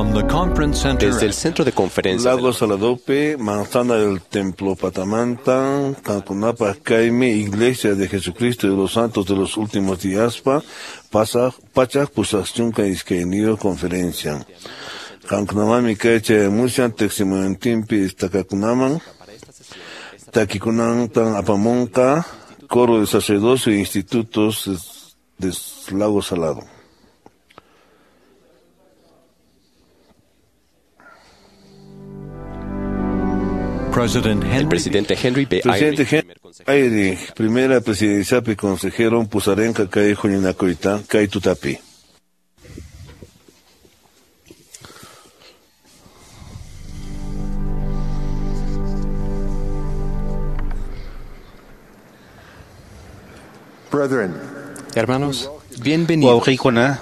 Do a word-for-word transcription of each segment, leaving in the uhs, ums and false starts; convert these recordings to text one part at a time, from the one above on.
From the conference center Desde el centro de conferencias Lago Saladope, Manzana del Templo Patamanta, Cancunapa, Caime, Iglesia de Jesucristo de los Santos de los Últimos Días, pa, Pasa, Pachak, Pusachunca, Isquenido, Conferencia. Cancunamami, Kaiche, Mushan, Teximontimpi, Istakakunaman, Takikunan, Tan Apamonca, Coro de Sacerdocio e Institutos de Lago Salado. President El Henry presidente Henry B. Presidente Eyring, primer consejero Henry, primera presidencia y consejero Pusarenca, Kai Juñinacoita, Kai Tutapi. Brethren, Hermanos, bienvenidos. Wawqiykuna,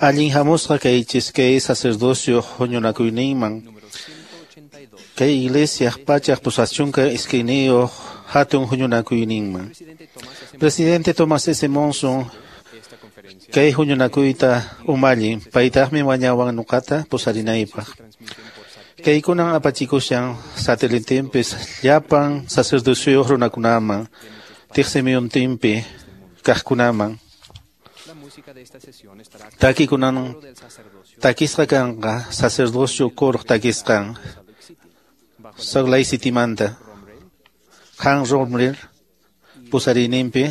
allin hamusqa kaychis kay sacerdocio huñunakuyninman. Kay iglesia pachaq pusachunka iskayniyuq hatun huñunakuyninman. Presidente Thomas S. Monson kay huñunakuyta umallin, paytaqmi wañawan nuqata pusarinaypaq. Kaykunan apachikushan satelitinpis llapan sacerdocioyuq runakunaman, tiqsimiyuntinpi kaqkunaman. Takikunan takisqa kanqa sacerdocio kuruq takisqan Salt Lake Citymanta. Han Romler pusariyninpi,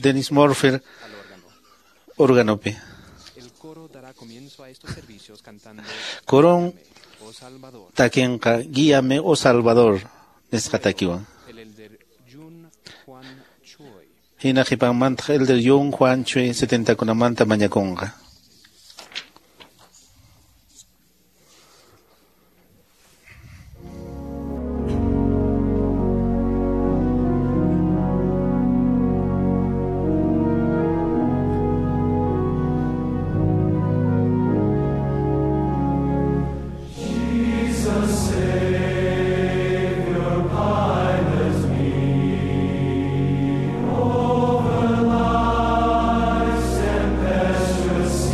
Dennis Murphy órganopi. Coron takinqa Guíame, oh Salvador nisqa takiwan. Hina qhipanmantaq Elder Jun Juan Choi setentakunamanta mañakunqa. Over life's tempestuous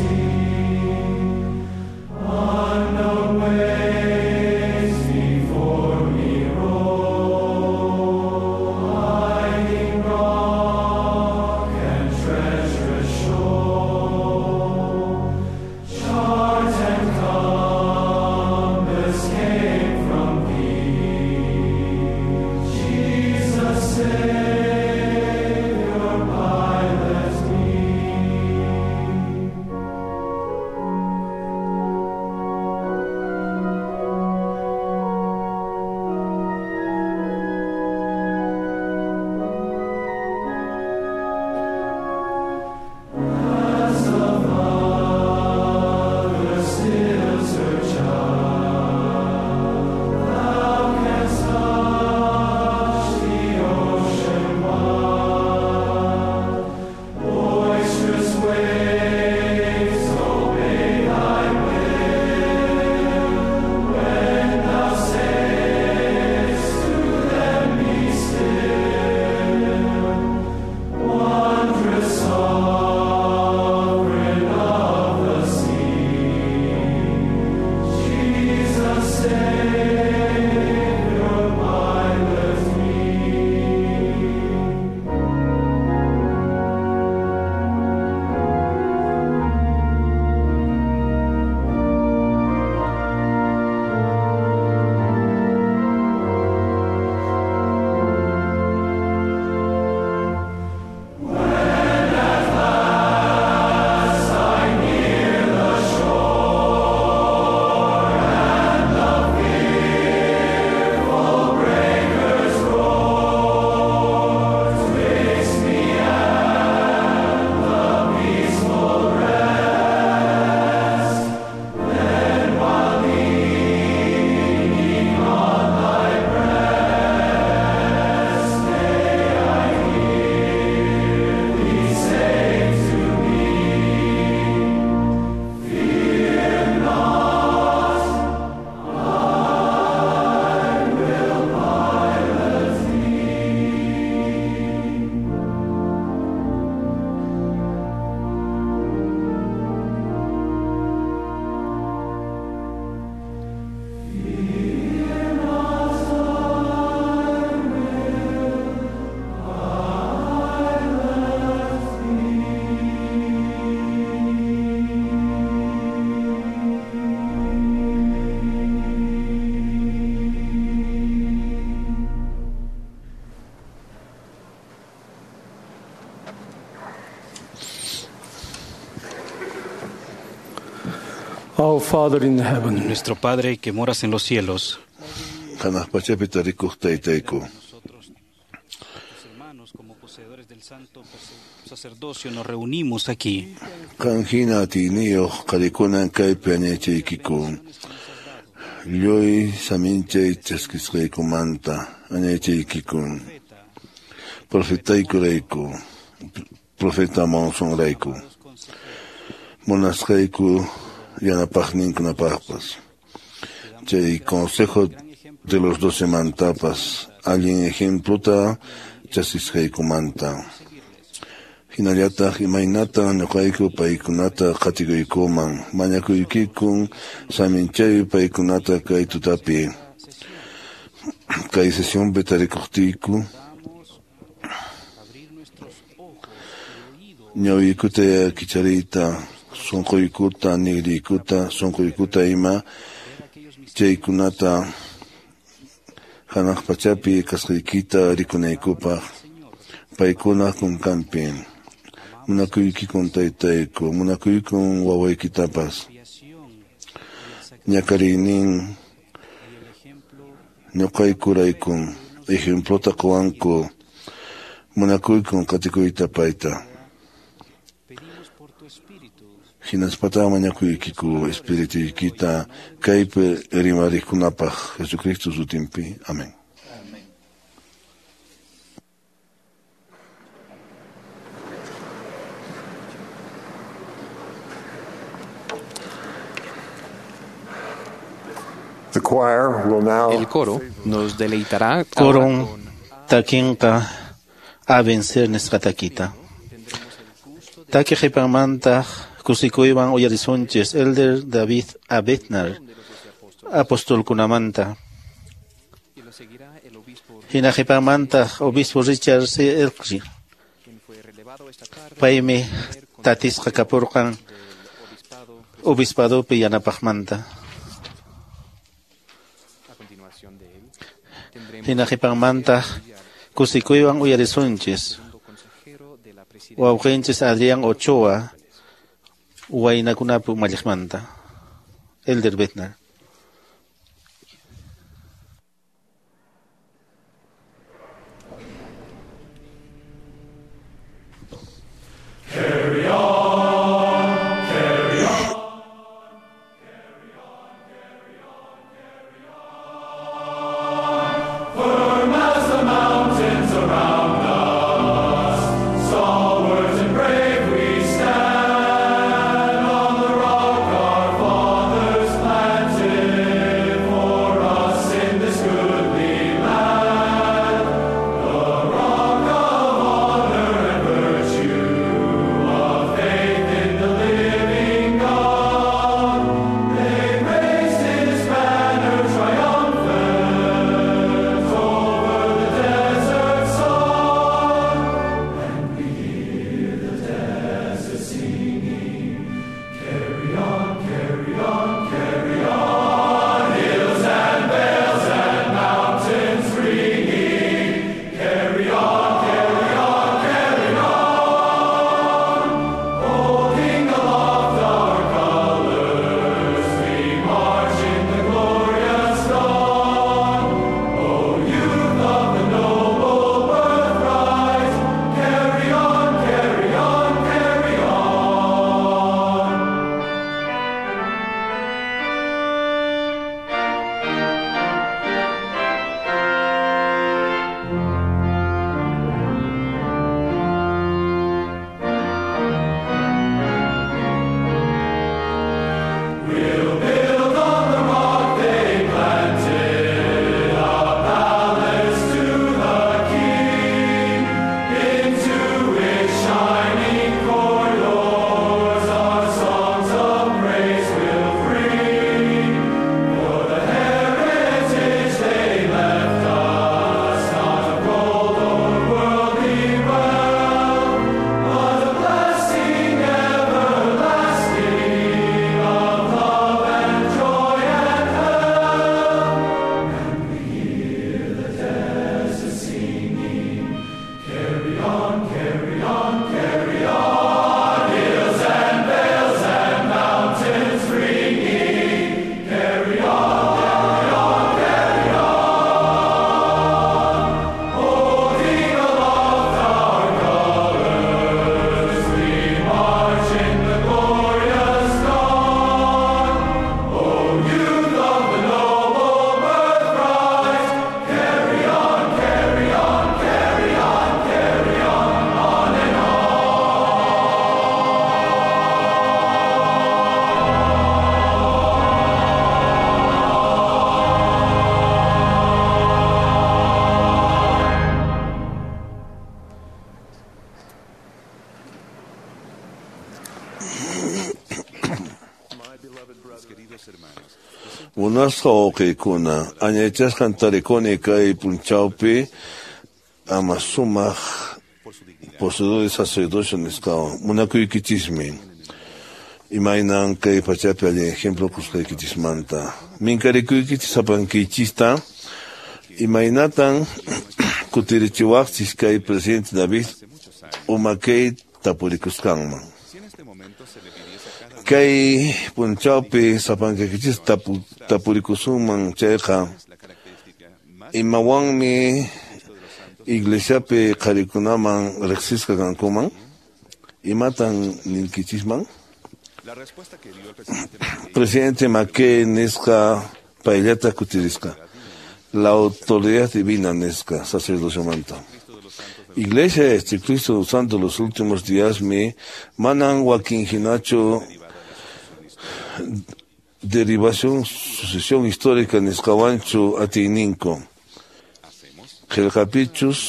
Our Father in heaven, Nuestro Padre que moras en los cielos, Hanaq pachapi tarikuq taytayku. nosotros, tus hermanos, como poseedores del santo sacerdocio, nos reunimos aquí. Qan hina atiyniyuq qarikunan kaypi añaychaykiku. Lluy saminchay chaskisqaykumanta añaychaykiku. Profetaykurayku, profeta Monsonrayku. Munasqayku yanapaqninkunapaqpas. Chay consejo de los doce mantapas, allin ejempluta chaskisqaykumanta. Hinallataq imaynata ñuqayku paykunata qatikuykuman, mañakuykikun saminchay paykunata kay tutapi. Kay sesionpi tarikuqtiyku, ñawiykuta kichariyta, sunquykuta, nigriykuta, sunquykuta ima chaykunata hanaq pachapi kasqaykita rikunaykupaq paykuna kunkanpi. Munakuykikun taytayku, munakuykun wawaykitapas. Ñakariynin ñuqaykuraykun ejemplota quwanku, munakuykun qatikuyta payta. Hinaspata mañakuykiku espirituykita kaypi rimariqkunapaq Jesucristo sutinpi. Amén. The choir will now El coro nos deleitará ahora Coron con takinqa a vencer nisqa takita. Taki qhipanmantaq kusikuywan uyarisunchis Elder David A. Bednar, apostolkunamanta. y lo seguirá el obispo Hina qhipanmantaq obispo Richard C. Elkri. quien fue relevado esta tarde Paymi tatisqa kapurqan del obispado. obispadopi yanapaqmanta. A continuación de él tendremos Hina qhipanmantaq kusikuywan uyarisunchis segundo consejero de la presidencia wawqinchis Adrián Ochoa waynakunapi umalliqmanta. Elder Bednar. Stalwart and brave we stand on the rock our fathers planted. Munasqa wawqiykuna, añaychasqan tarikuni kay p'unchawpi ama sumaq poseedor de sacerdocio nisqawan munakuykichismi. Imaynan kay pachapi allin ejemplo kusqaykichismanta. Minkarikuykichis sapankiychista imaynatan kutirichiwaqchis kay presidente David umakay tapurikusqanman. Kay p'unchawpi sapankaykichis tapu, tapurikusunman chayqa imawanmi iglesiapi qharikunaman riqsisqa kankuman imatan ninkichisman. Presidente McKay nisqa payllata kutirisqa la autoridad divina nisqa sacerdociomanta. Iglesia de Jesucristo Santo los últimos días mi manan wakin hinachu derivación sucesión histórica nisqawanchu atiyninko. Qillqapichus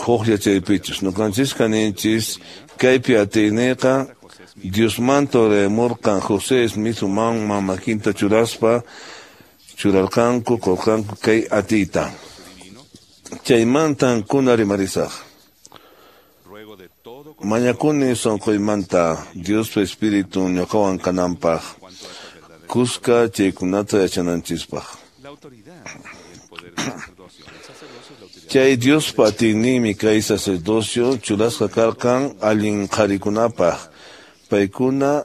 huk yachaypichus ñuqanchis kaninchis kaypi atiyninqa Diosmanta uraymurqan José Smith umanman makinta churaspa churarqanku qurqanku kay atiyta. Chaymantan kuna rimarisaq. Mañakuni sunquymanta Diospa Espíritu ñuqawan kananpaq kuska chaykunata yachananchispaq. Chay Diospa atiyninmi kay sacerdocio churasqa karqan allin qharikunapaq paykuna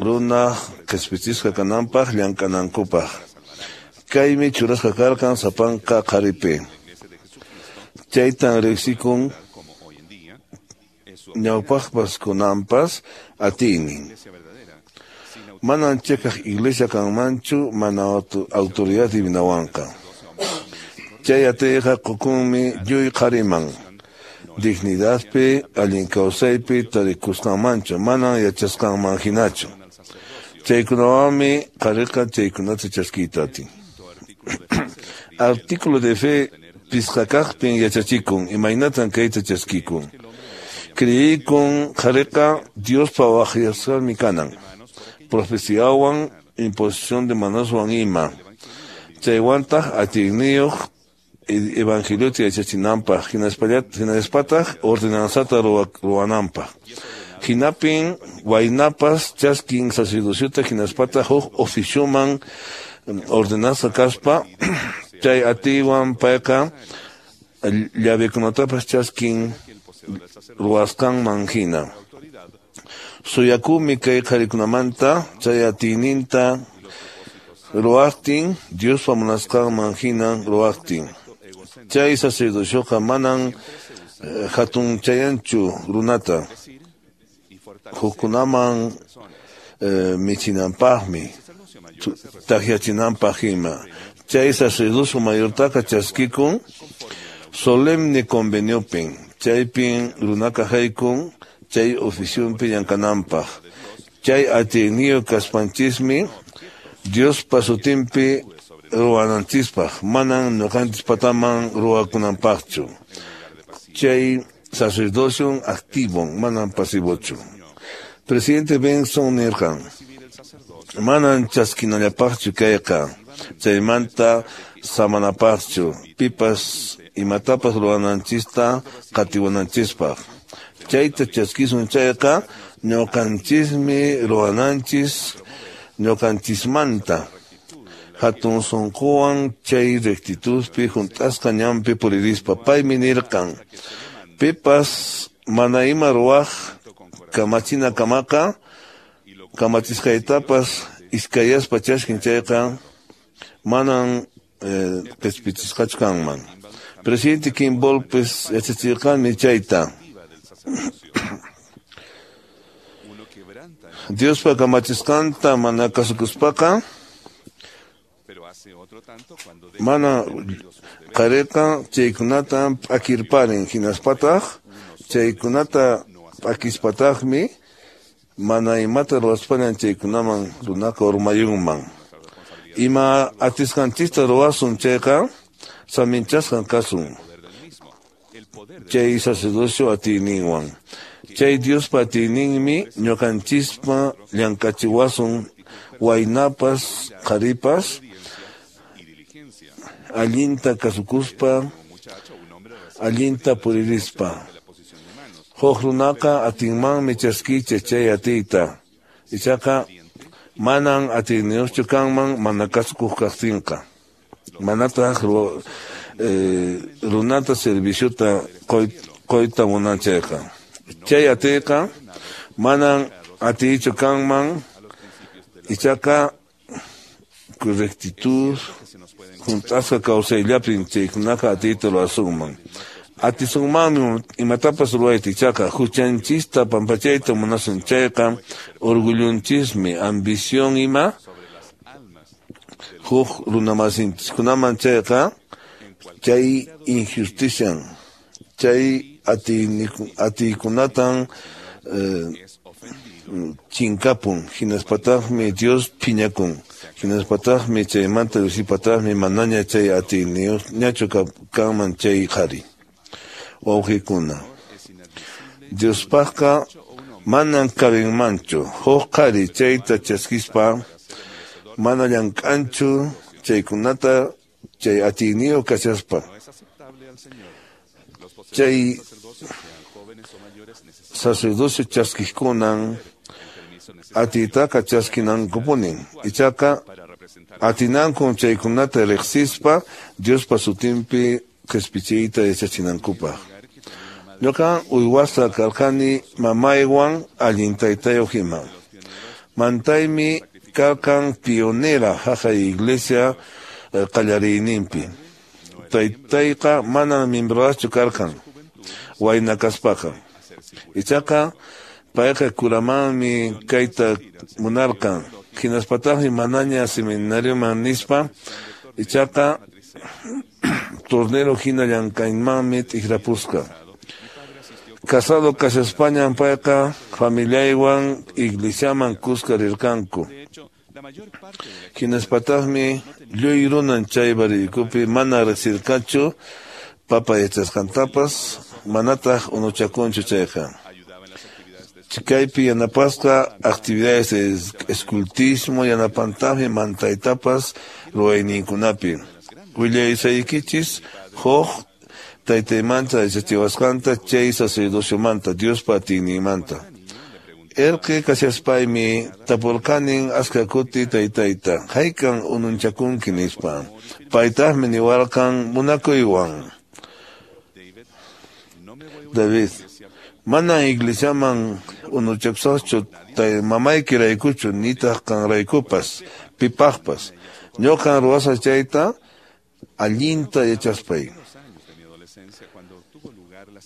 runa qispichisqa kananpaq llank'anankupaq. Kaymi churasqa karqan sapanka qharipi. Chaytan riqsikun ñawpaqpas kunanpas atiynin. Manan chiqaq iglesia kanmanchu mana autoridad divinawanqa. Chay atiyqa qukunmi lluy qhariman. Dignidadpi, allin kawsaypi tarikusqanmanchu, manan yachasqanman hinachu. Chaykunawanmi qhariqa chaykunata chaskiyta atin. Artículo de fe pisqakaqpin yachachikun, imaynatan kayta chaskikun. Creikun qhariqa Diospa waqyasqanmi kanan. Profeciawan, imposición de manoswan ima. Chaywantaq atiyniyuq evangeliota yachachinanpaq, hinaspataq ordenanzata ruwananpaq. Hinapin waynapas chaskin sacerdociota hinaspataq huk oficioman ordenanza kaspa chay atiywan payqa llavekunatapas chaskin ruwasqanman hina. Suyakumi kay qharikunamanta chay atiyninta ruwaqtin Diospa munasqanman hina ruwaqtin. Chay sacerdocioqa manan hatunchayanchu runata hukkunaman michinanpaqmi takyachinanpaq ima. Chay sacerdocio mayortaqa chaskikun solemne conveniopin chaypin runaka haykun chay oficionpi llamk'ananpaq. Chay atiyniyuq kaspanchismi Diospa sutinpi ruwananchispaq, manan ñuqanchis pataman ruwakunanpaqchu. Chay sacerdocio activo, manan pasivochu. Presidente Benson nirqan, manan chaskinallapaqchu kayqa, chaymanta samanapaqchu, pipas imatapas ruwananchista qatiwananchispaq. Chayta chaskisun chayqa ñuqanchismi ruwananchis ñuqanchismanta. Hatun sunquwan chay rectitudpi hunt'asqa ñanpi puririspa paymi nirqan pipas mana ima ruwaq kamachina kamaqa kamachisqaytapas iskayaspa chaskin chayqa manan qispichisqachu kanman. Presidente Kimballpis yachachirqanmi chayta. Diospa kamachisqanta mana kasukuspaqa mana qhariqa chaykunata p'akirparin hinaspataq chaykunata p'akispataqmi mana imata ruwaspañan chaykunaman runaqa urmayunman. Ima atisqanchista ruwasun chayqa saminchasqan kasun chay sacerdocio atiyninwan. Chay Diospa atiyninmi ñuqanchispa llank'achiwasun waynapas qharipas allinta kasukuspa allinta puririspa. Huk runaqa atinmanmi chaskicha chay atiyta, ichaqa manan atiyniyuqchu kanman mana kasukuq kaqtinqa, manataq eh, runata serviciota qoyta munan chayqa. Chay atiyqa manan atiychu kanman, ichaqa correctitud hunt'asqa kawsayllapin chaykunaqa atiyta ruwasunman. Atisunmanmi imatapas ruwayta, ichaqa huchanchista pampachayta munasun chayqa orgullonchismi ambición ima huk runamasinchikunaman chayqa chay injustician chay atiykunatan eh, chinkapun, hinaspataqmi Dios phiñakun, hinaspataqmi chaymanta llusipataqmi manaña chay atiyniyuqñachu kanman chay qhari. Wawqikuna, Diospaqqa manan kabinmanchu huk qhari chayta chaskispa mana llank'anchu chaykunata chay atiyniyuq kashaspa. Chay sacerdocio chaskikunan atiytaqa chaskinankupunin, ichaqa atinankun chaykunata riqsispa Diospa sutinpi qispichiyta yachachinankupaq. Ñuqa uywasqa karqani mamaywan allin taytayuq ima. Mantaymi karqan pionera haqay iglesia qallariyninpi. Taytayqa manan miembroaschu karqan wayna kaspaqa. Ichaqa payqa kuramanmi kayta munarqan, hinaspataqmi manaña seminarioman nispa, ichaqa tornero hina llank'aymanmi t'ikrapusqa. Casado kashaspañan payqa familiaywan iglesiaman kuska rirqanku. Hinaspataqmi lluy runan chay barriykupi mana riqsirqachu papa yachasqantapas, manataq unuchakunchu chayqa. Chikaypi yanapasqa actividades de escultismo yanapantaqmi mantaytapas ruwayninkunapi. Willaysaykichis huk taytaymanta yachachiwasqanta chay sacerdociomanta Diospa atiyninmanta. Erqi kashaspaymi tapurqanin aska kuti taytayta, haykan ununchakunki nispa. Paytaqmi niwarqan munakuywan. David, manan iglesiaman unuchakusaqchu tay mamaykiraykuchu nitaq qanraykupas pipaqpas. Ñuqan ruwasaq chayta allinta yachaspay.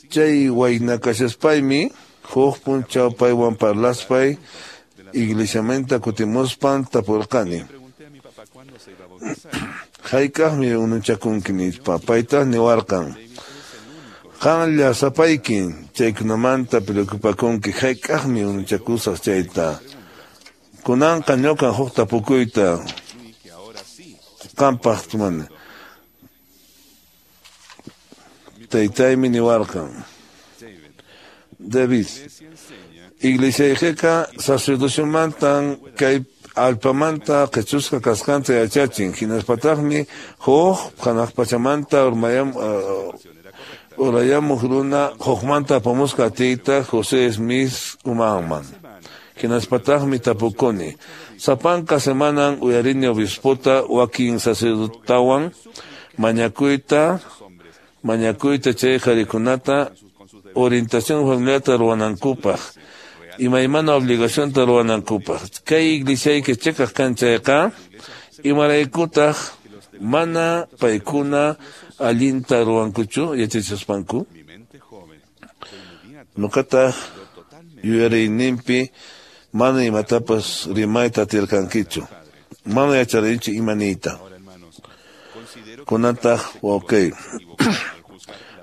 Chay wayna kashaspaymi huk punchaw paywan parlaspay iglesiamanta kutimuspan tapurqani. Hayk'aqmi ununchakunki nispa, paytaq niwarqan. Qanlla sapaykin chaykunamanta preocupakunki hayk'aqmi ununchakusaq chayta. Kunanqa ñuqan huk tapukuyta qampaq tumani. Taytaymi niwarqan. David, iglesiaykiqa sacerdociomantan kay allpamanta qichusqa kasqanta yachachin, hinaspataqmi huk hanaq pachamanta urmayam urayamuq runa hukmanta apamusqa atiyta José Smith umanman. Hinaspataqmi tapukuni, sapanka semanan uyarini obispota wakin sacerdotawan mañakuyta mañakuyta chay qharikunata orientación familiarta ruwanankupaq, imaymana obligacionta ruwanankupaq. Kay iglesiayki chiqaq kan chayqa, imaraykutaq mana paykuna allinta ruwankuchu yachachispanku? Ñuqataq yuyariyninpi mana imatapas rimayta atirqankichu, mana yacharinichu ima niyta. Kunantaq wawqiy,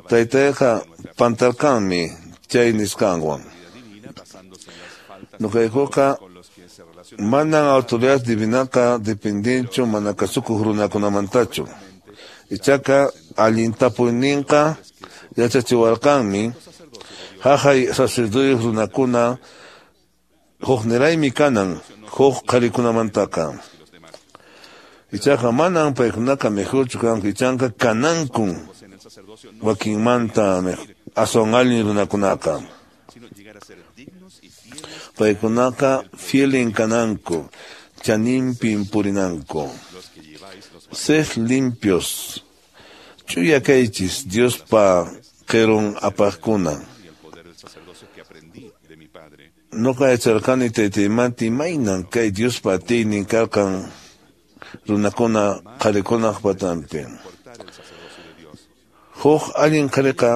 taytayqa pantarqanmi chay nisqanwan. Ñuqaykuqa manan autoridad divinaqa dependenchu mana kasukuq runakunamantachu. Ichaqa allin tapuyninqa yachachiwarqanmi haqay sacerdoteyuq runakuna Hukniraymi kanan huk qharikunamantaqa. Ichaqa manan paykunaqa mejorchu kanku, ichanqa kanankun wakinmanta aswan allin runakunaqa. Paykunaqa fielin kananku, chaninpin purinanku. Sed limpios, chuya kaychis Diospa qirun apaqkuna. Noqa yacharqani taytaymanta imaynan kay Diospa atiynin karqan runakuna qharikunaq patanpi. Huk allin qhariqa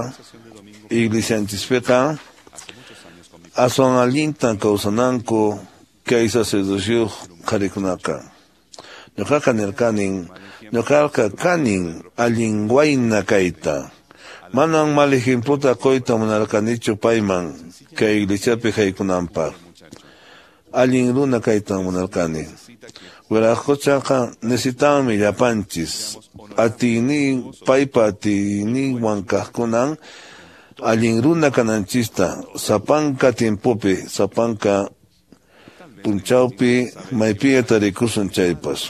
iglesianchispiqa aswan allintan kawsananku kay sacerdocio qharikunaqa. Ñuqaqa nirqanin, ñuqaqa kanin allin wayna kayta. Manan mal ejemplota quyta munarqanichu payman kay iglesiapi haykunanpaq. Allin runa kaytan munarqani. Wiraqquchaqa necesitanmi llapanchis. Atiynin paypa atiyninwan kaqkunan allin runa kananchista sapanka tiempopi, sapanka punchawpi maypiña tarikusun chaypas.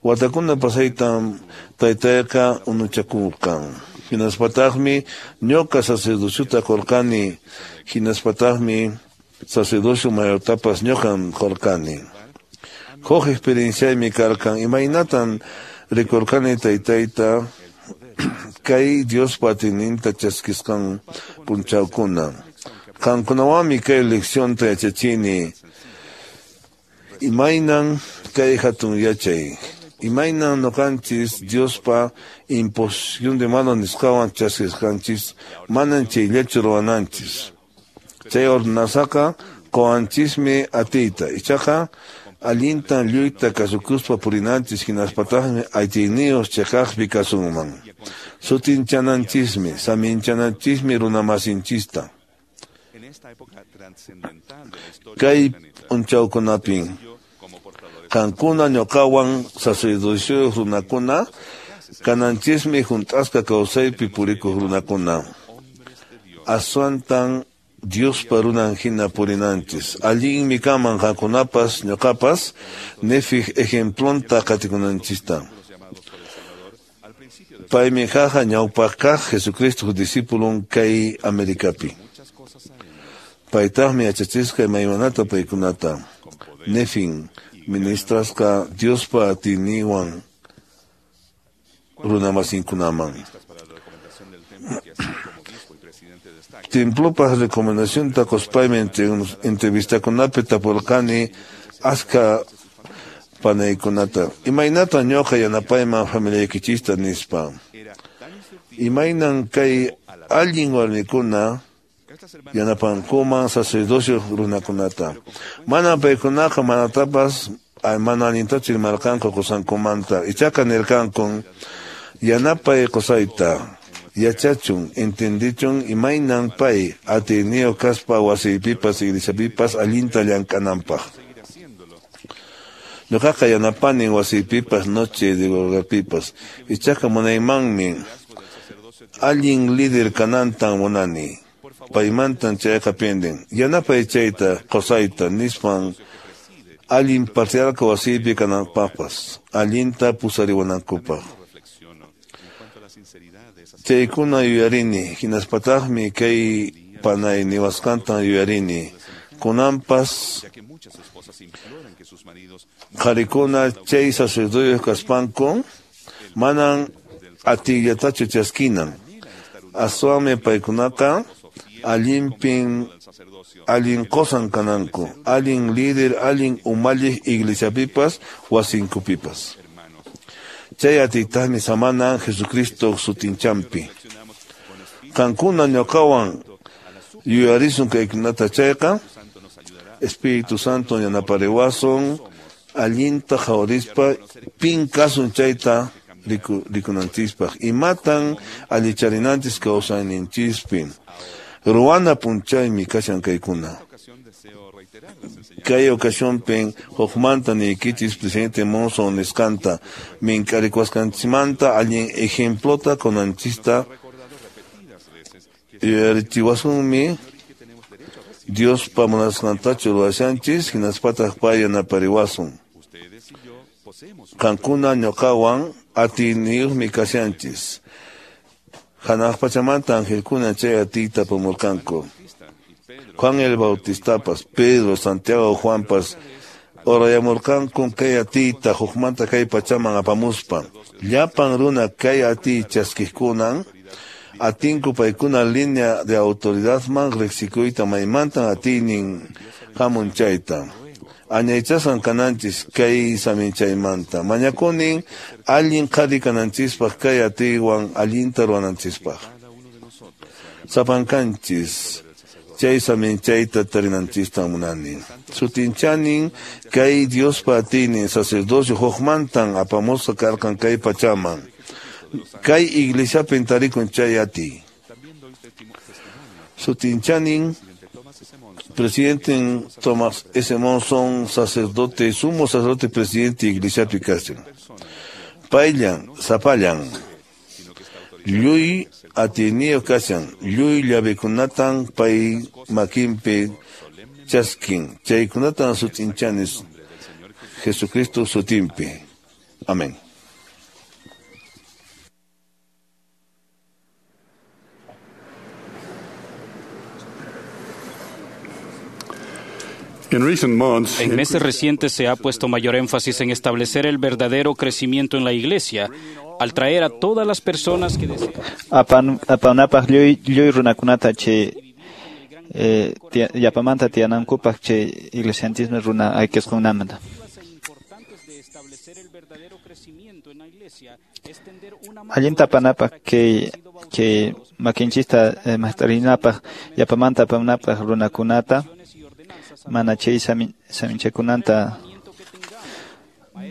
Watakuna pasaytan taytayqa unuchakurqan. Hinaspataqmi ñuqa sacerdociota qurqani, hinaspataqmi sacerdocio mayortapas ñuqan qurqani. Huk experienciaymi karqan imaynatan rikurqani taytayta kay Diospa atiyninta chaskisqan punchawkuna. Qankunawanmi kay leccionta yachachini. Imaynan kay hatun yachay. Imaynan ñuqanchis Diospa imposición de mano nisqawan chaskisqanchis manan chayllachu ruwananchis. Chay ordenanzaqa quwanchismi atiyta. Ichaqa allintan lluyta kasukuspa purinanchis hinaspataqmi atiyniyuq chiqaqpi kasunman. Sutinchananchishmi, saminchananchismi runamasinchista. Kay p'unchawkunapin qankuna ñuqawan sacerdocioyuq runakuna kananchismi hunt'asqa kawsaypi purikuq runakuna. Aswantan Diospa runan hina purinanchis. Allinmi kaman qankunapas ñuqapas Nefiq ejemplonta qatikunanchista. Paymi haqa ñawpaq kaq Jesucristo discipulon kay Americapi. Paytaqmi yachachisqa imaymanata paykunata. Nefin ministrasqa Diospa atiyninwan runamasinkunaman. Templopaq recomendacionta quspaymi entrevistakunapi tapurqani askha panaykunata. Imaynatan ñuqa yanapayman familiaykichista nispa. Imaynan kay allin warmikuna yanapankuman sacerdocio runakunata. Manan paykunaqa manatapas mana allintachu rimarqanku qusankumanta. Ichaqa nirqankun yanapay qusayta. Yachachun, entendichun imaynan pay atiyniyuq kaspa wasiypipas iglesiapipas allinta llank'ananpaq. Ñuqaqa yanapanin wasiypipas noche de huelgapipas. Ichaqa munaymanmi allin líder kanantan munani. Paymantan chayqa penden. Yanapay chayta qusayta nispan allin patriarca wasiypi kananpaqpas allinta pusariwanankupaq. Chaykuna yuyarini, hinaspataqmi kay panay niwasqantan yuyarini. Kunanpas qharikuna chay sacerdoteyuq kaspanku manan atiyllatachu chaskinan. Aswanmi paykunaqa allinpin allin qusan kananku, allin líder, allin umalliq iglesiapipas wasinkupipas. Chay atiytaqmi samanan Jesucristo sutinchampi. Qankuna ñuqawan yuyarisun kaykunata chayqa, Espíritu Santo yanapariwasun allinta qhawarispa pin kasun chayta riku, rikunanchispaq. Imatan allicharinanchis kawsayninchispi. Ruwana punchaymi kashan kaykuna. Kay ocasionpin hukmanta niykichis presidente Monson nisqanta mink'arikusqanchikmanta allin ejemplota kunanchista Yuyarichiwasunmi Diospa munasqantachu ruwashanchis hinaspataq pay yanapariwasun. Qankuna ñuqawan atiyniyuqmi kashanchis. Hanaq pachamanta angelkuna chay atiyta apamurqanku. Juan el Bautistapas, Pedro, Santiago, Juanpas orayamurqanku kay atiyta hukmanta kay pachaman apamuspa. Llapan runa kay atiy chaskiqkunan atinku paykuna línea de autoridadman riqsikuyta maymantan atiynin hamun chayta. Añaychasqan kananchis kay saminchaymanta. Mañakunin allin qhari kananchispaq kay atiywan allinta ruwananchispaq. Sapankanchis chay saminchayta tarinanchista munani. Sutinchanin kay Diospa atiynin sacerdocio hukmantan apamusqa karqan kay pachaman. Kay iglesiapin tarikun chay atiy. Sutinchanin presidente Thomas S. Monson, sacerdote, sumo sacerdote presidente iglesiapi kashan. Payllan, sapallan, lluy atiyniyuq kashan, lluy llavekunatan pay makinpi chaskin, chaykunatan sutinchanis Jesucristo sutinpi. Amén. En meses recientes se ha puesto mayor énfasis en establecer el verdadero crecimiento en la Iglesia, al traer a todas las personas que desean. Apan, apanapaq lluy lluy runakunata chay eh, tia, yapamanta tiyanankupaq chay iglesianchismi runa aykisqunamanta. Allinta apanapaq kay kay makinchista eh, mast'arinapaq yapamanta apanapaq runakunata mana chay saminchakunanta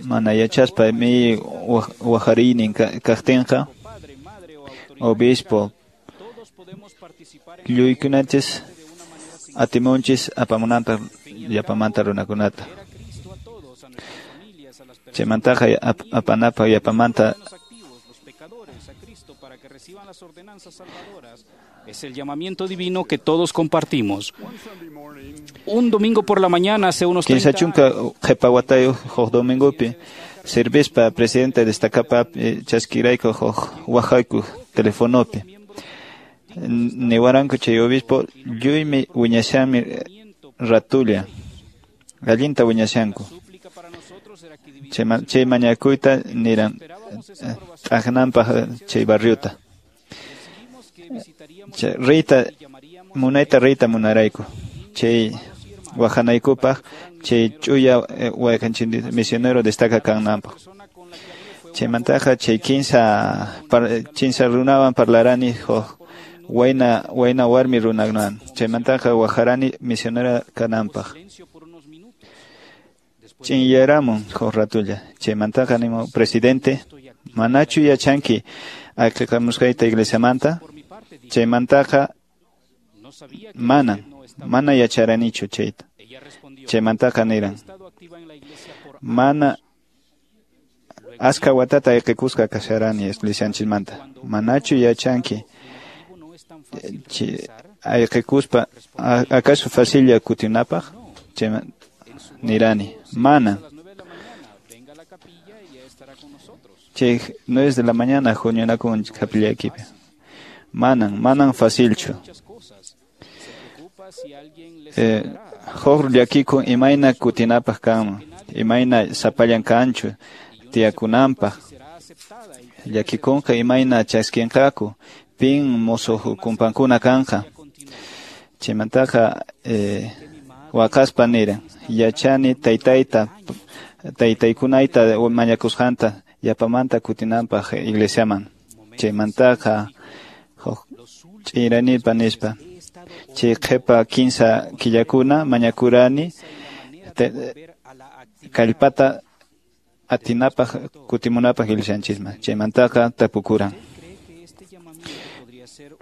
mana yachaspa mi wajariynin kaqtinqa obispo lluykunanchis atimunchis apamunanpaq yapamanta runakunata chaymantaqa apanapaq yapamanta. Es el llamamiento divino que todos compartimos. Un domingo por la mañana hace unos Kinsa chunka qhipa watayuq huk domingopi servispa presidente destacapa chaskirayku huk waqayku telefonopi. Niwaranku chay obispo lluymi wiñashanmi ratulla allinta wiñashanku. Chay mañakuyta niran t'aqnanpaq chay barriota. Chay riyta munayta riyta munarayku chay waqanaykupaq chay ch'uya wayqanchik misionero destaca kananpaq. Chaymantaqa chay kinsa kinsa runawan parlarani huk wayna wayna warmi runakunawan. Chaymantaqa waqarani misionera kananpaq. Ch'inyaramun huk ratulla. Chaymantaqa nimun presidente manachu yachanki ayqikamusqayta iglesiamanta. Chaymantaqa manan mana yacharanichu chayta. Chaymantaqa niran mana aska watata ayqikusqa kasharani iglesianchismanta. Manachu yachanki ayqikuspa acaso facilla kutinapaq? Chayman nirani mana. Chay nueve de la mañana huñunakun capillaykipi. Manan, manan facilchu. Eh, huk llakikun imayna kutinapaq kanman, imayna sapallan kanchu tiyakunanpaq. Llakikunqa imayna chaskinqaku, pin musuq kumpankuna kanqa. Chaymantaqa eh, waqaspa niran, yachani taytayta, taytaykunayta mañakusqanta yapamanta kutinanpaq iglesiaman. Chaymantaqa huk ch'iranipa nispa chay qhipa kinsa killakuna mañakurani kallpata atinapaq kutimunapaq iglesianchisman. Chaymantaqa tapukuran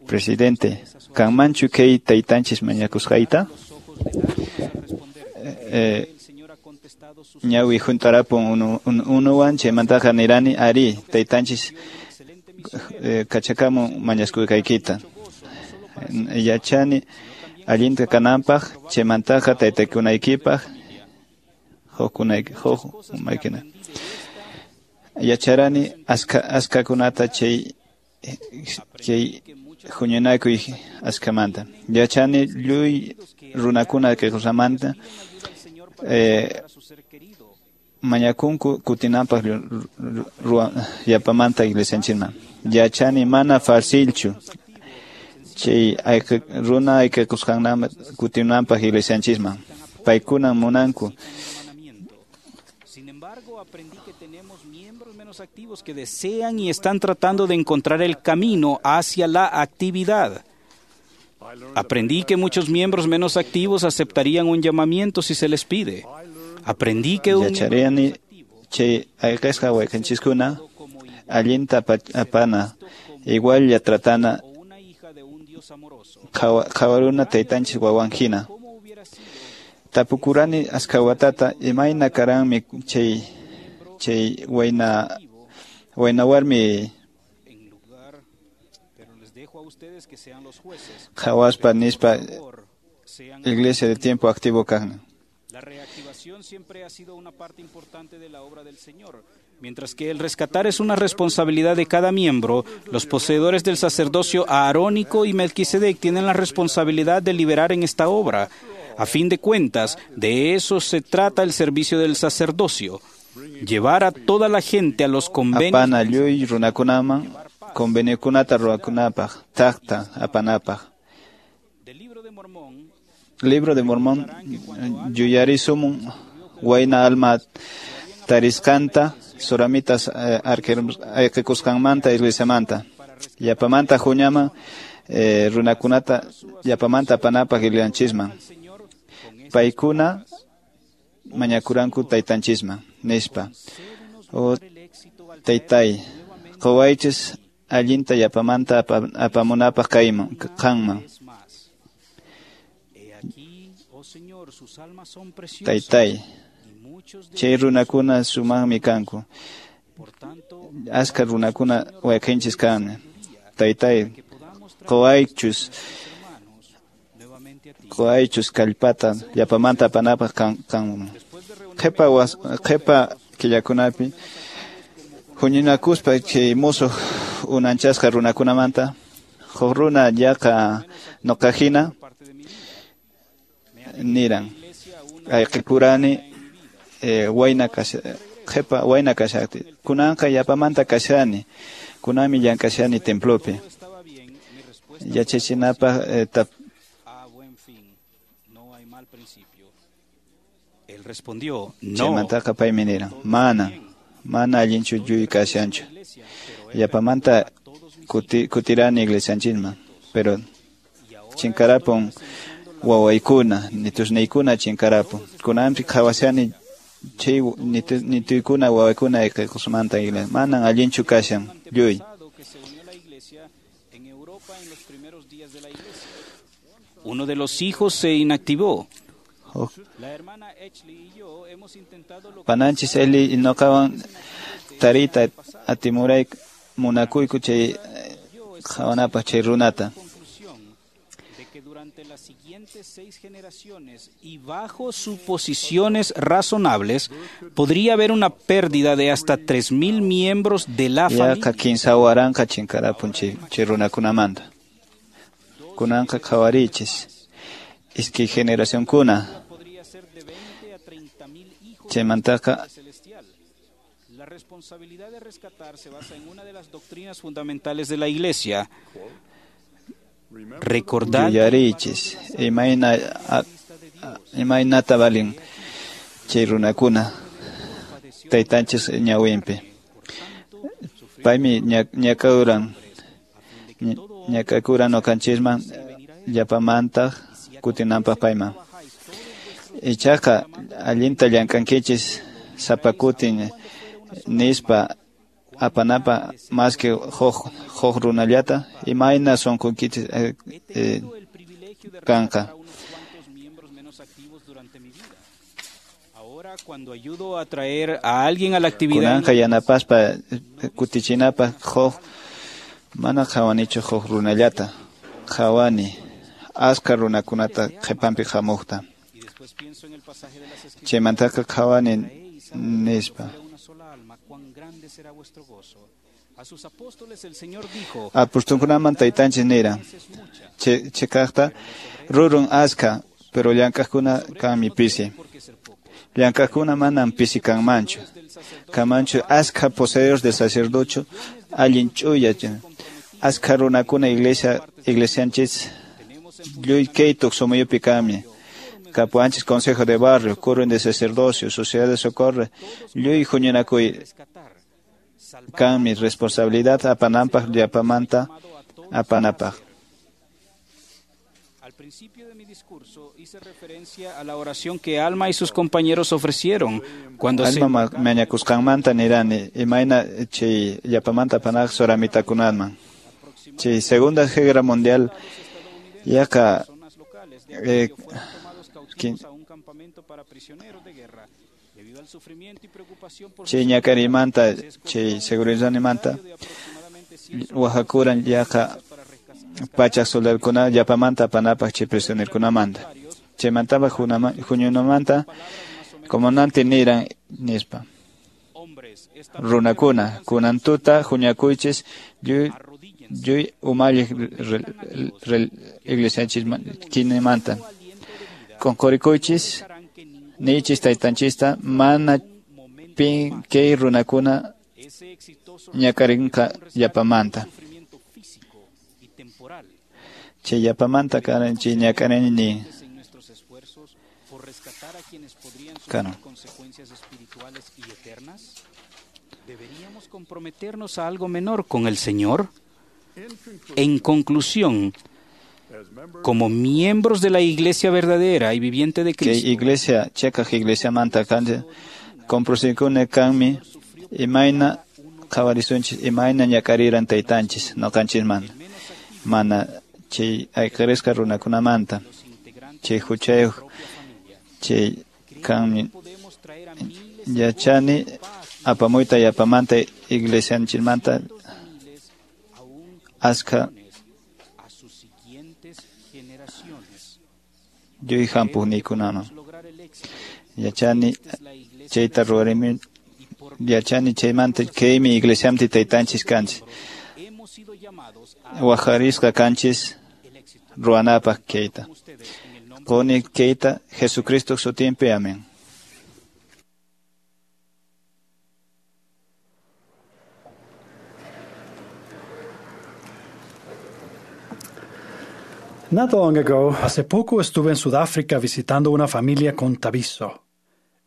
presidente kanmanchu kay taytanchis mañakusqayta? Eh, ñawi juntarapun unu, unuwan chaymantaqa nirani ari taytanchis eh, kachakamun mañaskuykayta. Yachani allinta kananpaq chaymantaqa taytakunaykipaq hukkunayki huk umaykina. Yacharani aska askakunata chay chay huñunakuy askamanta. Yachani lluy runakuna kaykusamanta eh, mañakunku kutinanpaq yapamanta iglesianchikman. Yachani mana facilchu chay runa ayqikusqanman kutinanpaq iglesianchisman. Paykuna munanku. Sin embargo, aprendí que tenemos miembros menos activos que desean y están tratando de encontrar el camino hacia la actividad. Aprendí que muchos miembros menos activos aceptarían un llamamiento si se les pide. Aprendí que un Yacharani chay ayqisqa wayqinchiskuna allinta apana igual ya tratana qhawaruna taytanchis wawan hina. Tapukurani aska watata imayna karanmi chay chay wayna wayna warmi qhawaspa nispa iglesia de tiempo activo kaqna. La reactivación siempre ha sido una parte importante de la obra del Señor. Mientras que el rescatar es una responsabilidad de cada miembro, los poseedores del sacerdocio aarónico y Melquisedec tienen la responsabilidad de liberar en esta obra. A fin de cuentas, de eso se trata el servicio del sacerdocio, llevar a toda la gente a los convenios. Apana lluy runakunaman conveniokunata ruwakunapaq, taqta apanapaq. Libro de Mormón yuyarisumun wayna alma tarisqanta soramitas ayqikusqanmanta iglesiamanta. Yapamanta huñaman eh, runakunata yapamanta apanapaq iglianchisman. Paykuna mañakuranku taytanchisman nispa. O taytay, quwaychis allinta yapamanta apamunapaq kayman qanman. Taytay, chay runakuna sumaqmi kanku. Aska runakuna wayqinchis kanmi. Taytay, quwaychus quwaychus kallpata yapamanta apanapaq kanman. Qhipa qhipa killakunapi huñunakuspa chay musuq unanchasqa runakunamanta huk runa yaqa nuqahina niran ayqikurani eh, wayna kasha qhipa wayna kashaqti kunanqa yapamanta kashani kunanmi llank'ashani templopi yachachinapaq eh, tap Él respondió, no. Chaymantaqa paymi niran, mana, mana allinchu lluy kashanchu. Yapamanta kuti, kutirani iglesianchisman, pero chinkarapun wawaykuna, nitusniykuna chinkarapun. Kunanpi qhawashani chay nituykuna wawaykuna ayqikusmanta iglesia. Manan allinchu kashan lluy. Uno de los hijos se inactivó. Oh. Pananchis Eli nuqawan tariyta atimuray munakuyku chay qhawanapaq chay runata. Durante las siguientes seis generaciones y bajo suposiciones razonables, podría haber una pérdida de hasta tres mil miembros de la familia. Yaqa kinsa waranqa chinkarapun chay chay runakunamanta. Kunanqa qhawarichis. Iskay generacionkuna. Chaymantaqa La responsabilidad de rescatar se basa en una de las doctrinas fundamentales de la Iglesia. Recordad yuyarichis imayna imaynata valin chay runakuna taytanchis ñawinpi. Paymi ñakakuran ñakakuran ñuqanchisman yapamanta kutinanpaq payman. Ichaqa allinta llank'ankichis sapa kutin nispa apanapa más que huk huk runallata imayna sunqunkichis eh, eh, kanqa. Cuando ayudo a traer a alguien a la actividad Kunanqa yanapaspa kutichinapaq huk mana qhawanichu huk runallata. qhawani askha runakunata qhipanpi hamuqta. Chaymantaqa qhawani nispa. Apostolkunaman taytanchis nira, chikaqta rurun askha, pero llank'aqkuna kanmi pisi. Llank'aqkuna manam pisi kanmanchu. Kanmanchu askha poseedores de sacerdocio allin ch'uya. Askha runakuna iglesia iglesianchis lluy kay tuqsumuyupi kanmi. Kapuanchis consejo de barrio, quórum de sacerdocio, sociedad de socorro, lluy huñunakuy kanmi responsabilidad apananpaq llapamanta apanapaq. Al principio de mi discurso hice referencia a la oración que Alma y sus compañeros ofrecieron cuando Alma mañakusqanmanta nirani imayna chay llapamanta apanaq soramitakunanman. Chay Segunda Guerra Mundial yaqa eh, chay ñakarimanta chay seguridadmanta wajakuran yaqa pachak soldadokuna llapamanta apanapaq chay prisionerokunamanta. Chaymantapaq huñunamanta comandante niran nispa: runakuna kunan tuta huñakuychis lluy lluy umalliq iglesianchismanta qunqurikuychis niychis taytanchista mana pin kay runakuna ñakarinqa llapamanta. Chay llapamanta karan chay ñakarini kano. ¿Deberíamos comprometernos a algo menor con el Señor? En conclusión, como miembros de la Iglesia verdadera y viviente de Cristo, kay iglesia chekaq iglesiamanta kanchis compromisikuna kanmi imayna qhawarisunchis imayna ñakariran taytanchis noqanchismanta mana chay ayqirisqa runakunamanta chay huchayuq chay kanmi yachani apamuyta yapamanta iglesianchismanta askha lluy hampuqniykunaman. Yachani chayta ruwarimi yachani chaymanta kaymi iglesiampi taytanchis kanchis wajarisqa kanchis ruwanapaq kayta. Quni kayta Jesucristo sutinpi. Amén. Not long ago, hace poco estuve en Sudáfrica visitando una familia con Tabiso.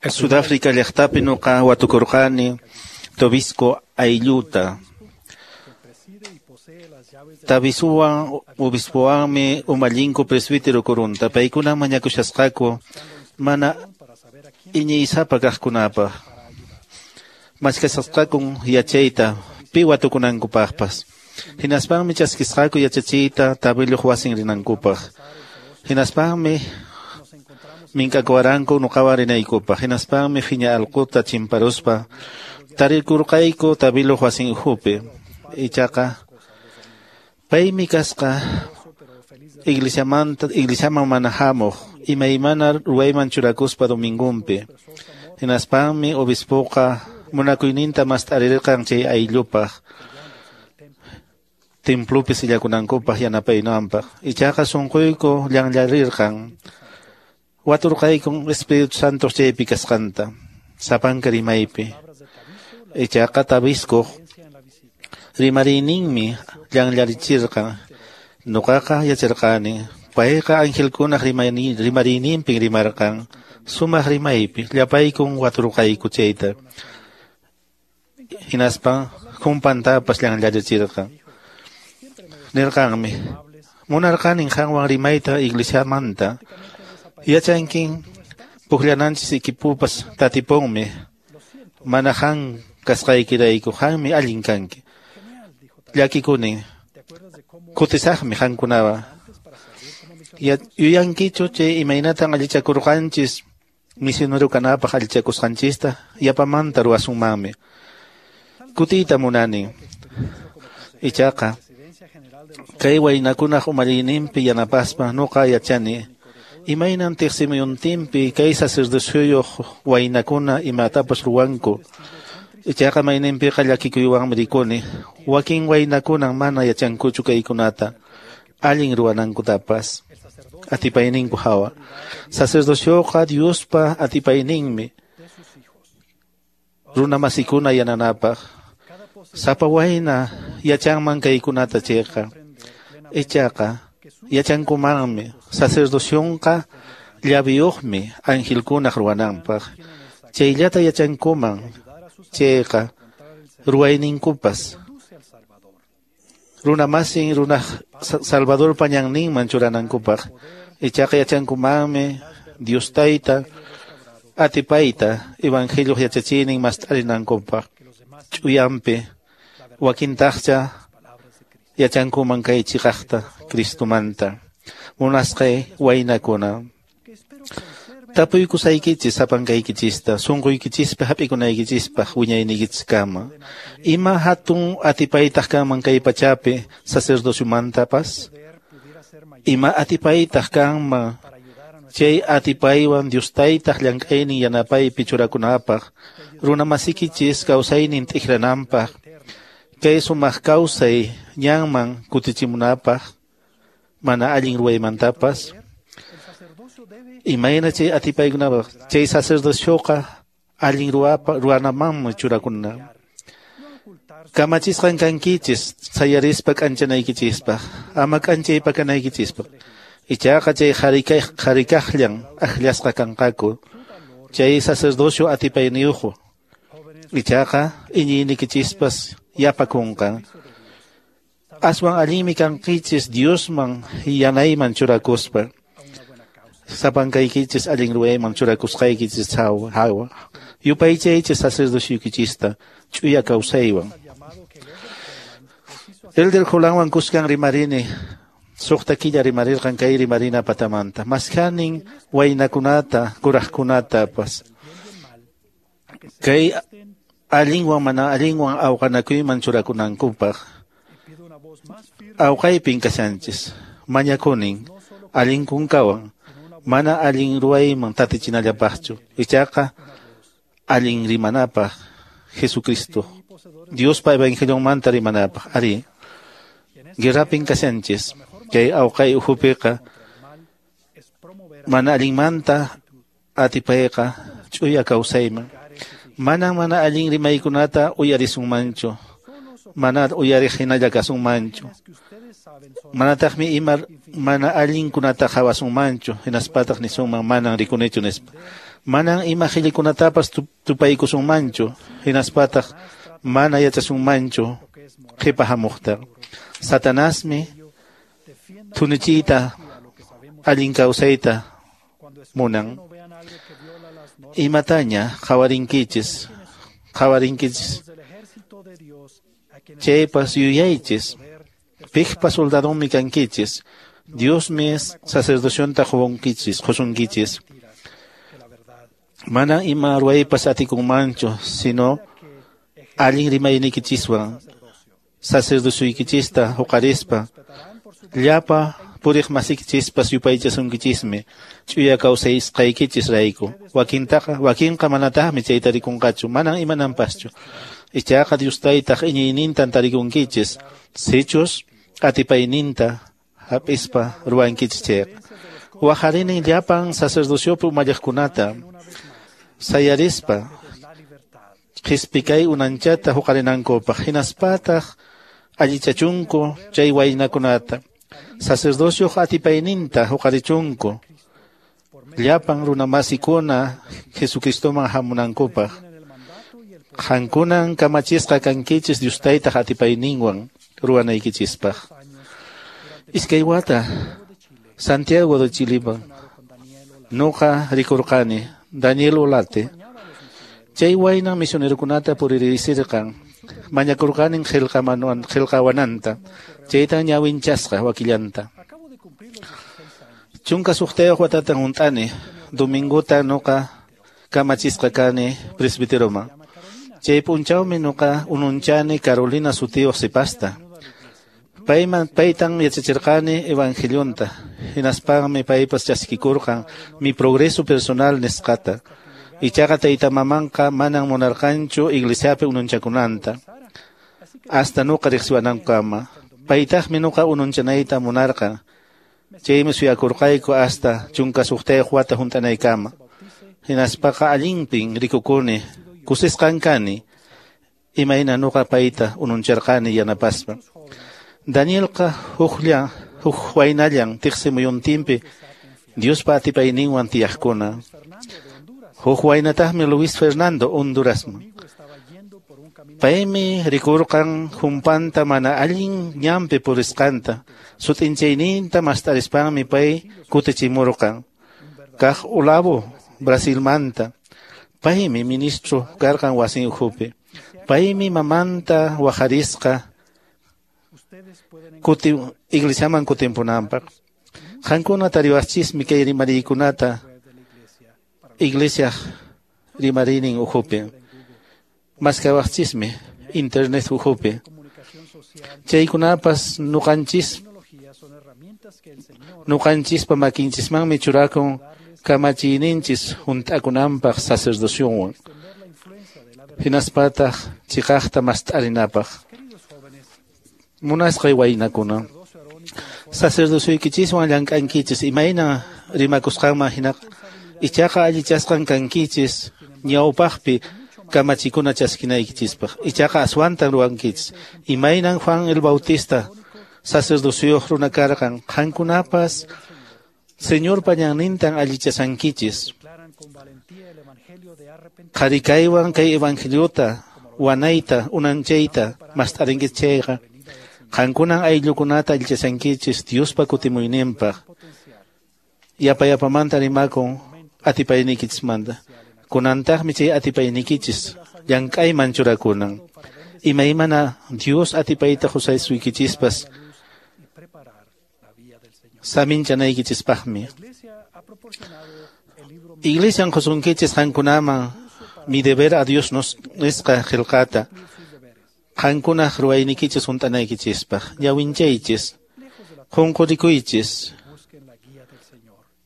Sudáfrica llaqtapi nuqa watukurqani Tobisco aylluta. Tabisuwan obispowanmi umallinku presbítero kurunta. Paykuna mañakushasqaku mana iñiysapa kaqkunapaq. Mashkashasqakun yachayta pi watukunankupaqpas. Hinaspanmi chaskisqaku yachachiyta tabiluq wasin rinankupaq. Hinaspanmi minkakuwaranku nuqawan rinaykupaq. Hinaspanmi phiña allquta chimparuspa tarikurqayku tabiluq wasin ukhupi. Ichaqa paymi kasqa iglesiamanta iglesiaman mana hamuq imaymana ruwayman churakuspa domingunpi. Hinaspanmi obispoqa munakuyninta mast'arirqan chay ayllupaq templopi sillakunankupaq yanapaynanpaq. Ichaqa sunquyku llanllarirqan. Waturqaykun Espíritu Santo chaypi kasqanta sapanka rimaypi. Ichaqa Tabiskuq rimariyninmi llanllarichirqan. Nuqaqa yacharqani payqa angelkunaq rimariyninpin rimarqan sumaq rimaypi. Llapaykun waturqayku chayta. Hinaspan kumpantapas llanllarichirqan. Nirqanmi munarqanin qanwan rimayta iglesiamanta. Yachankin pukllananchis equipupas tatipunmi. Mana qan kasqaykirayku qanmi allin kanki. Llakikunin kutisaqmi qankunawan. Yuyankichu chay imaynatan allichakurqanchis misionero kanapaq allichakusqanchista yapamanta ruwasunmanmi. Kutiyta munani. Ichaqa Kay waynakunaq umaliyninpi yanapaspa nuqa yachani imaynan tiqsimuyuntinpi kay sacerdocioyuq waynakuna imatapas ruwanku. Ichaqa mayninpiqa llakikuywanmi rikuni wakin waynakunan mana yachankuchu kaykunata allin ruwanankutapas atipayninku hawa. Sacerdocioqa Diospa atipayninmi runamasikuna yananapaq. Sapa wayna yachanman kaykunata chayqa. Ichaqa yachankumanmi sacerdocionqa llaviyuqmi angelkunaq ruwananpaq. Chayllata yachankuman chayqa ruwayninkupas runamasin runaq Salvadorpa ñanninman churanankupaq. Ichaqa yachankumanmi Dios tayta atipayta evangelioq yachachiynin mast'arinankupaq ch'uyanpi wakintaqcha yachankuman kay chiqaqta Cristomanta. Munasqay waynakuna, tapuykusaykichis sapankaykichista sunquykichispi hap'ikunaykichispaq wiñayniykichiskama. Ima hatun atipaytaq kanman kay pachapi sacerdociomantapas? Ima atipaytaq kanman chay atipaywan Dios taytaq llank'aynin yanapaypi churakunapaq runamasikichis kawsaynin t'ikrananpaq kay sumaq kawsay ñanman kutichimunapaq mana allin ruwaymantapas? Imayna chay atipaykunapaq chay sacerdocioqa allin ruwapa ruwanamanmi churakuna. Kamachisqan kankichis sayarispa k'anchanaykichispaq ama k'anchaypa kanaykichispaq. Ichaqa chay qharikaqllan akllasqa kanqaku chay sacerdocio atipayniyuq. Ichaqa iñiynikichispas yapakunqa. Aswan allinmi kankichis Diosman yanayman churakuspa. Sapankaykichis allin ruwayman churakusqaykichis hawa. Yupaychaychis sacerdocioykichista ch'uya kawsaywan. Elder Jolanwan kuskan rimarini suqta killa rimarirqan kay rimarina patamanta. Maskhanin waynakunata kuraqkunatapas kay allinwan mana allinwan awqanakuyman churakunankupaq. Awqaypin kashanchis mañakunin allin kunkawan mana allin ruwayman tatichinallapaqchu. Ichaqa allin rimanapaq Jesucristo Diospa evangelionmanta rimanapaq. Ari guerrapin kashanchis kay awqay ukhupiqa mana allinmanta atipayqa ch'uya kawsayman. Mana mana allin rimaykunata uyarisunmanchu, mana uyariq hinalla kasunmanchu, manataqmi ima mana allinkunata qhawasunmanchu hinaspataq nisunman manan rikunichu nispa. Manan ima qhillikunatapas tupaykusunmanchu hinaspataq mana yachasunmanchu qhipa hamuqta. Satanasmi thunichiyta allin kawsayta munan. Imataña qhawarinkichis qhawarinkichis chaypas yuyaychis piqpa soldadonmi kankichis. Diosmi sacerdocionta qusunkichis qusunkichis. Mana ima ruwaypas atikunmanchu sino allin rimayniykichiswan sacerdocioykichista huqarispa llapa puriq masikichispas yupaychasunkichismi ch'uya kawsaysqaykichis rayku. Wakintaqa wakinqa manataqmi chayta rikunqachu manan imananpaschu. Ichaqa Dios taytaq iñiynintan tarikunkichis sichus atipayninta hap'ispa ruwankichis chayqa. Waqarinin llapan sacerdociopi umalliqkunata sayarispa qhispikay unanchata huqarinankupaq hinaspataq allichachunku chay waynakunata sacerdocioq atipayninta huqarichunku llapan runamasikuna Jesucristoman hamunankupaq. Qankunan kamachisqa kankichis Dios taytaq atipayninwan ruwanaykichispaq. Iskay wata Santiago de Chilipan nuqa rikurqani Daniel Olate chay waynan misionerokunata puririsirqan mañakurqanin qillqamanuan qillqawananta chaytan ñawinchasqa wakillanta. Chunka suqtayuq watatan hunt'ani dominguta nuqa kamachisqa kani presbiteroman. Chay p'unchawmi nuqa ununchani Carolina sutiyuq sipasta. Payman paytan yachachirqani evangelionta, hinaspanmi paypas chaskikurqan mi progreso personal nisqata. Ichaqa tayta mamanqa manan munarqanchu iglesiapi ununchakunanta. Hasta nuqa riqsiwanankama. Paytaqmi nuqa ununchanayta munarqan. Chaymi suyakurqayku hasta chunka suqtayuq wata hunt'anaykama. Hinaspaqa allinpin rikukuni, kusisqan kani, imayna nuqa payta ununcharqani yanapaspa. Danielqa huklla huk waynallan tiqsi muyuntinpi Diospa atipayninwan tiyaqkuna. Huk waynataqmi Luis Fernando Hondurasman. Paymi rikurqan humpanta mana allin ñanpi purisqanta, sut'inchayninta mast'arispanmi pay kutichimurqan. Kaq Olavo Brasilmanta. Paymi ministro karqan wasin ukhupi. Paymi mamanta waqarisqa kuti iglesiaman kutimpunanpaq. Qankuna tariwaqchismi kay rimariykunata iglesia rimarinin ukhupi. Maskawaqchismi internet ukhupi. Chaykunapas nuqanchis nuqanchispa makinchismanmi churakun kamachiyninchis hunt'akunanpaq sacerdocionwan. Hinaspataq chiqaqta mast'arinapaq. Munasqay waynakuna, sacerdocioykichiswan llank'ankichis imayna rimakusqanman hinaqa, ichaqa allichasqan kankichis ñawpaqpi kamachikuna chaskinaykichispaq. Ichaqa aswantan ruwankichis. Imaynan Juan el Bautista sacerdocioyuq runa karqan, qankunapas Señorpa ñannintan allichasankichis. Qharikaywan kay evangeliota wanayta unanchayta mast'arinkichis chayqa, qankunan ayllukunata allichasankichis Diospa kutimuyninpaq. Yapa yapamanta rimakun atipayniykichismanta. Kunantaqmi chay atipaynikichis llank'ayman churakunan. Imaymana Dios atipayta qusaysuykichispas saminchanaykichispaqmi. Iglesian qusunkichis qankunaman mi deber a Dios nos nisqa qillqata qankunaq ruwaynikichis hunt'anaykichispaq. Ñawinchaychis, qunqurikuychis,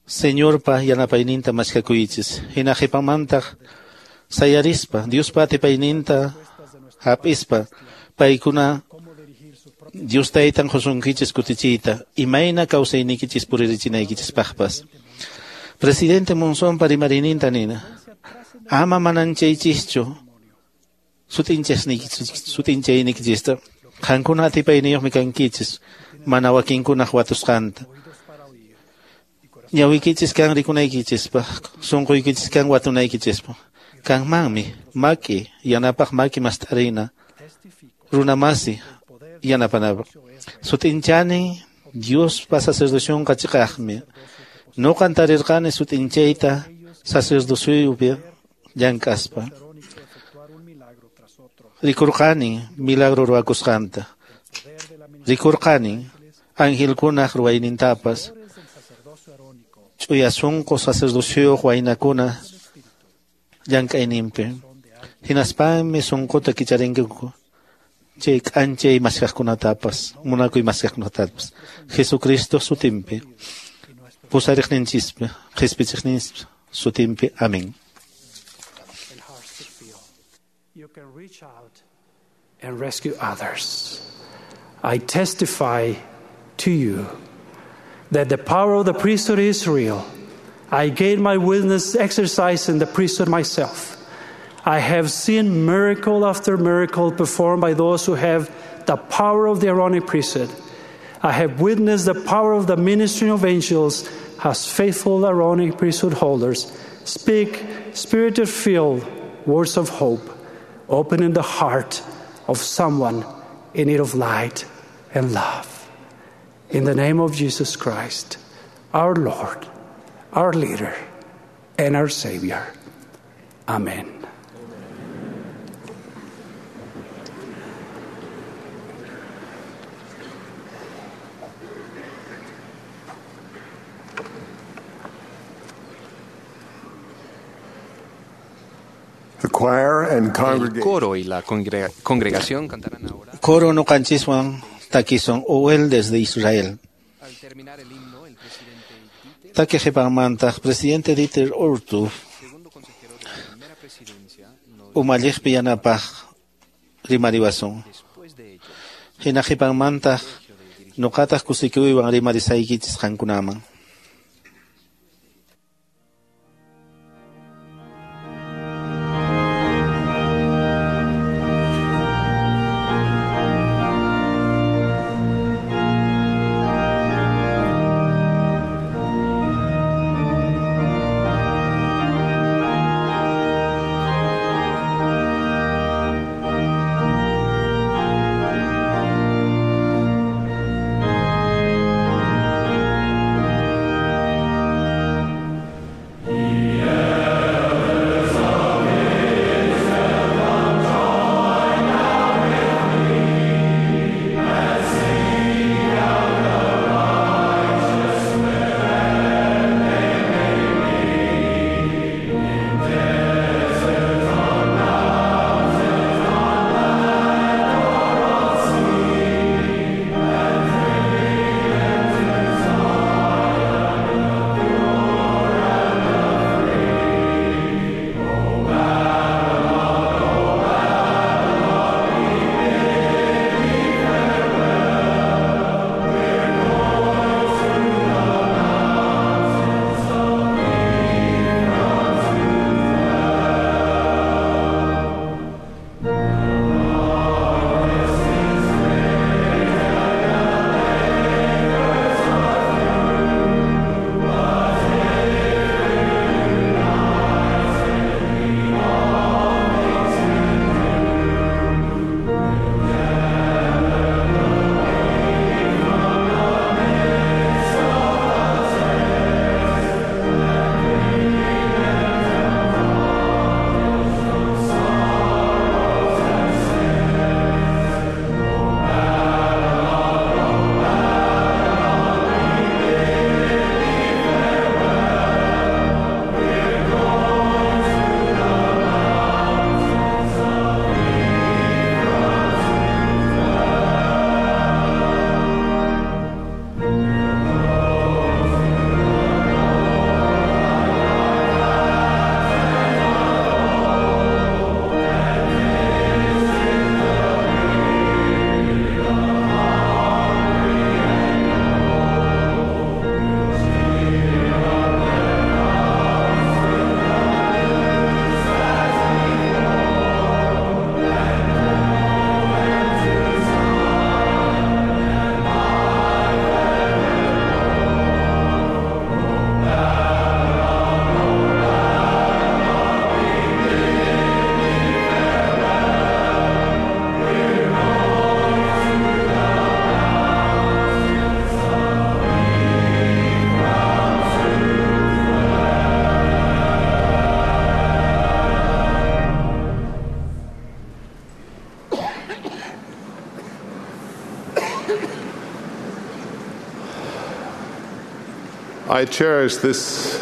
Señorpa yanapayninta maskakuychis. Hina qhipamantaq sayarispa Diospa atipayninta hap'ispa paykuna Dios taytan qusunkichis kutichiyta imayna kawsaynikichis puririchinaykichispaqpas. Presidente Monzonpa rimariyninta nina, ama mananchaychischu sut'inchaynikichista. Qankuna atipayniyuqmi kankichis mana wakinkunaq watusqanta. Ñawiykichis kan rikunaykichispaq, sunquykichis kan watunaykichispaq. Kanmanmi maki yanapaq maki mast'arina runamasi yanapanapaq. Sut'inchani Diospa sacerdocionqa chiqaqmi. Nuqan tarirqani sut'inchayta sacerdocioypi llank'aspa. Rikurqani milagro ruwakusqanta. Rikurqani angelkunaq ruwaynintapas. Ch'uya sunqu sacerdocioyuq waynakuna llank'ayninpi. Hinaspanmi sunquta kicharinkiku chay k'anchay maskaqkunatapas, munakuy maskaqkunatapas. Jesucristo sutinpi, pusariqninchispi, qhispichiqninchis sutinpi. Amén. You can reach out and rescue others. I testify to you that the power of the priesthood is real. I gained my witness exercising the priesthood myself. I have seen miracle after miracle performed by those who have the power of the Aaronic priesthood. I have witnessed the power of the ministry of angels as faithful Aaronic priesthood holders speak spirit-filled words of hope, opening the heart of someone in need of light and love. In the name of Jesus Christ, our Lord, our leader, and our Savior. Amen. The choir and El congregation coro y la congrega- congregación cantarán ahora. Coro nuqanchiswan Takisun Uel desde Israel. Taki qhipanmantaq presidente Dieter Uchtdorf umalliqpi yanapaq rimariwasun. Hina qhipanmantaq nuqataq kusikuywan rimarisaykichis qankunaman.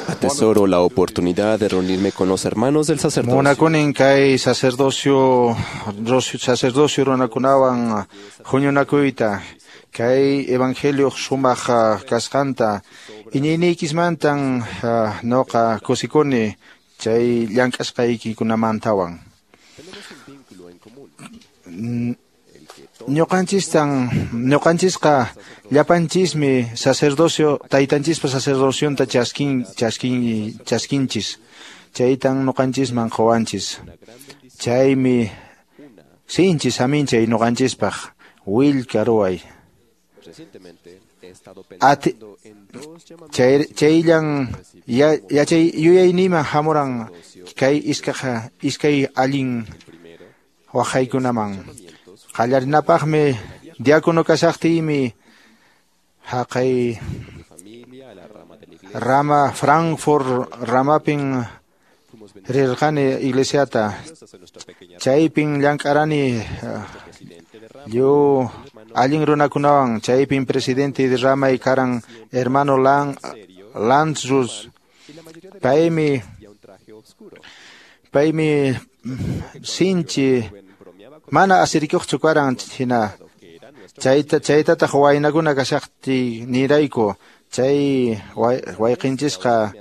Atesoro la oportunidad de reunirme con los hermanos del sacerdocio. Munakunin kay sacerdocio sacerdocio runakunawan huñunakuyta kay evangelio sumaq kasqanta iñiyniykismantan noqa kusikuni chay llank'asqaykikunamantawan. Ñuqanchistan ñuqanchisqa llapanchismi sacerdocio taytanchispa sacerdocionta chaskin chaskin chaskinchis chaytan ñuqanchisman quwanchis chaymi sinchi saminchay ñuqanchispaq willka ruway. Ati chay chayllan yachay yuyayniman hamuran kay iskaqa iskay allin waqaykunaman. Qallarinapaqmi diácono kashaqtiymi haqay rama Frankfurt ramapin rirqani iglesiata chaypin llank'arani lliw allin runakunawan chaypin presidente de ramay karan hermano Lan Lanzrus paymi paymi sinchi mana asirikuqchu karan hina Chayta chaytataq waynakuna kashaqti nirayku chay wayqinchisqa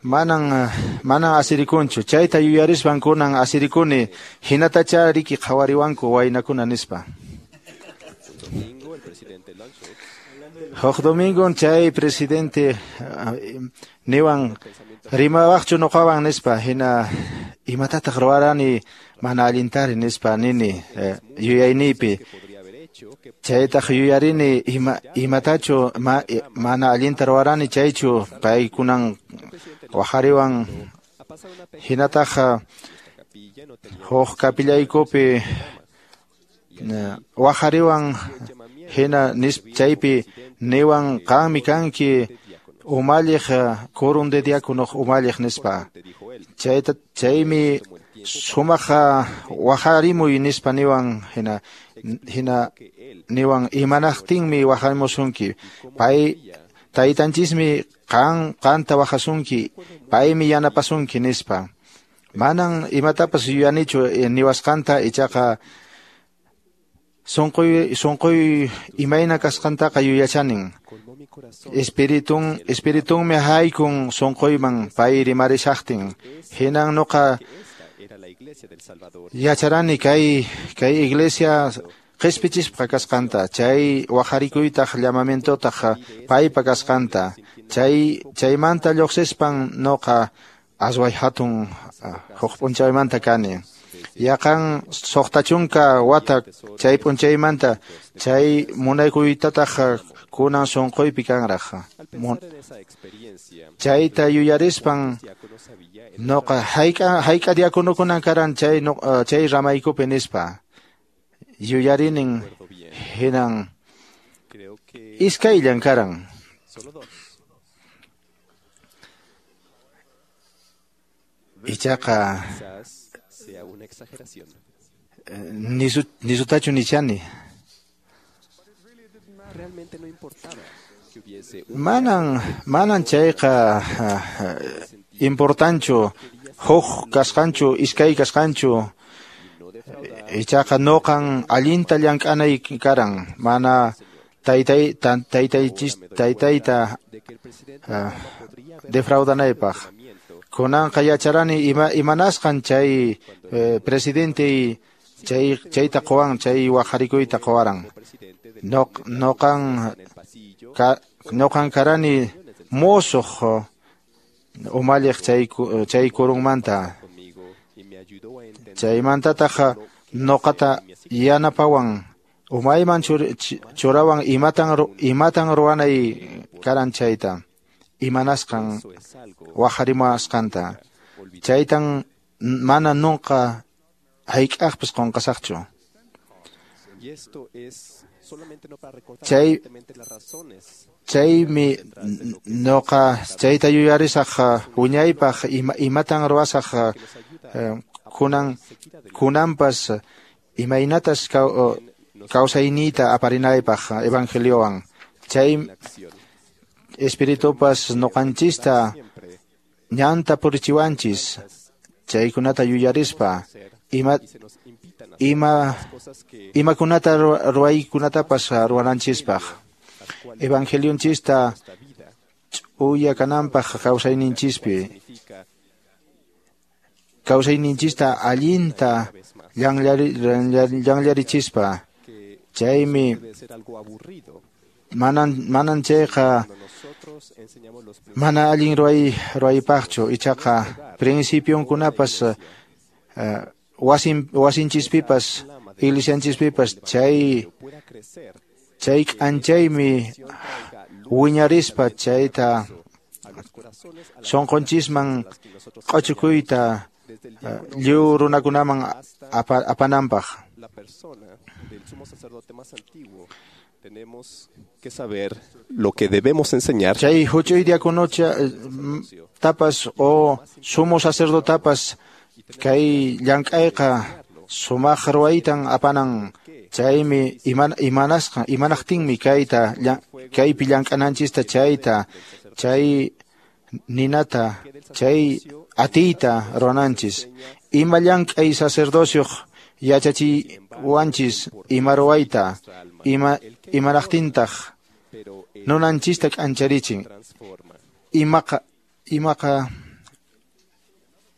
manan manan asirikunchu. Chayta yuyarispan kunan asirikuni hinatacha riki qhawariwanku waynakuna nispa. Huk domingon chay presidente niwan rimawaqchu nuqawan nispa hina imatataq ruwarani mana allintari nispa nini yuyayniypi. Chaytaq yuyarini ima imatachu ma, mana allinta ruwarani chaychu paykunan waqariwan hinataq huk kapillaykupi waqariwan hina nis chaypi niwan qanmi kanki umalliq qurum de diácono umalliq nispa. Chayta chaymi sumaq waqarimuy nispa niwan hina hina niwan imanaqtinmi waqarimusunki pay taytanchismi qan qanta waqasunki paymi yanapasunki nispa. Manan imatapas yuyanichu niwasqanta ichaqa sunquy sunquy imayna kasqantaqa yuyachanin. Espiritun espiritunmi haykun sunquyman pay rimarishaqtin hinan nuqa yacharani kay kay iglesia qispichispa kasqanta chay waqarikuytaq llamamientotaq paypa kasqanta chay chaymanta lluqsispan nuqa asway hatun huk p'unchaymanta kani. Yaqan suqta chunka wata chay p'unchaymanta chay munaykuytataq kunan sunquypi kanraq. Chayta yuyarispan nuqa hayk'a hayk'a diakonokunan karan chay chay ramaykupi nispa yuyarinin hinan iskayllan karan. Ichaqa nisu nisutachu nichani. Manan manan chayqa importanchu huk kasqanchu iskay kasqanchu ichaqa nuqan allinta llank'anay karan mana taytay taytaychis taytayta defraudanaypaq. Kunanqa yacharani ima imanasqan chay eh, presidente chay chayta quwan chay waqarikuyta quwaran. Noq noqan ka, noqan karani musuq umalliq chay chay kurunmanta. Chaymantataq nuqata yanapawan umayman churawan imatan imatan ruwanay karan chayta imanasqan waqarimuwasqanta. Chaytan mana nunca hayk'aqpas qunqasaqchu. Chay chaymi nuqa chayta yuyarisaq wiñaypaq ima, imatan ruwasaq kunan kunanpas imaynatas kawsayniyta aparinaypaq evangeliowan. Chay espiritupas nuqanchista ñanta purichiwanchis chaykunata yuyarispa ima ima imakunata ruwaykunatapas ruwananchispaq evangelionchista ch'uya kananpaq kawsayninchispi kawsayninchista allinta llanllarichispa. Chaymi manan manan chayqa mana allin ruway ruwaypaqchu ichaqa principionkunapas uh, wasin wasinchispipas iglesianchispipas chay chay k'anchaymi wiñarispa chayta sunqunchisman q'uchukuyta lliw runakunaman apa, apananpaq. Tenemos que saber lo que debemos enseñar. Chay huch'uy diakonocha tapas o sumo sacerdotapas kay llank'ayqa sumaq ruwaytan apanan chaymi iman imanasqa imanaqtinmi kayta kaypi llank'ananchista chayta chay ninata chay atiyta ruwananchis. Ima llank'ay sacerdocioq Yachachiwanchis ima ruwayta, ima imaraqtintaq nunanchista k'ancharichin. Imaqa imaqa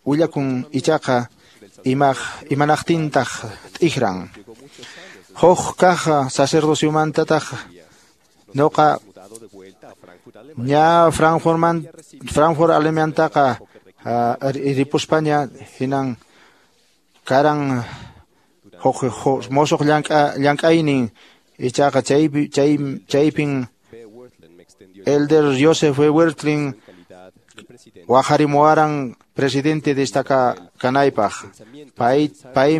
willakun ichaqa imaq imanaqtintaq t'ikran. Huk kaq sacerdociomantataq noqa ña Frankfurtman Frankfurt Alemaniantaqa ripuspaña hinan karan huk mosuq llank'a llank'aynin ichaqa chaypi chay chaypin Elder Joseph Wirthlin waqharimuwaran presidente destaca kanaypaq. Pay pay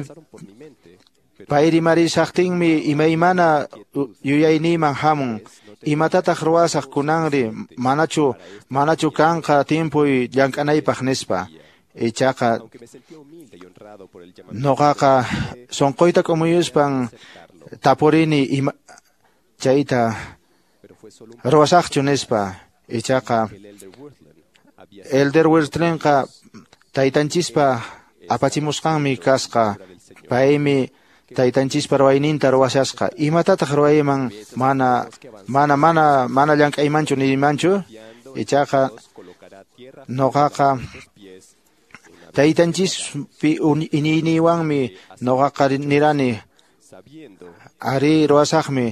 pay rimarisaqtinmi imaymana yuyayniyman hamun. Imatataq ruwasaq kunanri manachu manachu kanqa timpuy llank'anaypaq nispa. Ichaqa noqaqa sunquyta k'umuyuspan tapurini ima chayta ruwasaqchu nispa. Ichaqa Elder Wirthlinqa taytanchispa apachimusqanmi kasqa. Paymi taytanchispa ruwayninta ruwashasqa. Imatataq ruwayman mana mana mana mana llank'aymanchu niymanchu. Ichaqa noqaqa taytanchispi iñiyninwanmi noqaqa nirani ari ruwasaqmi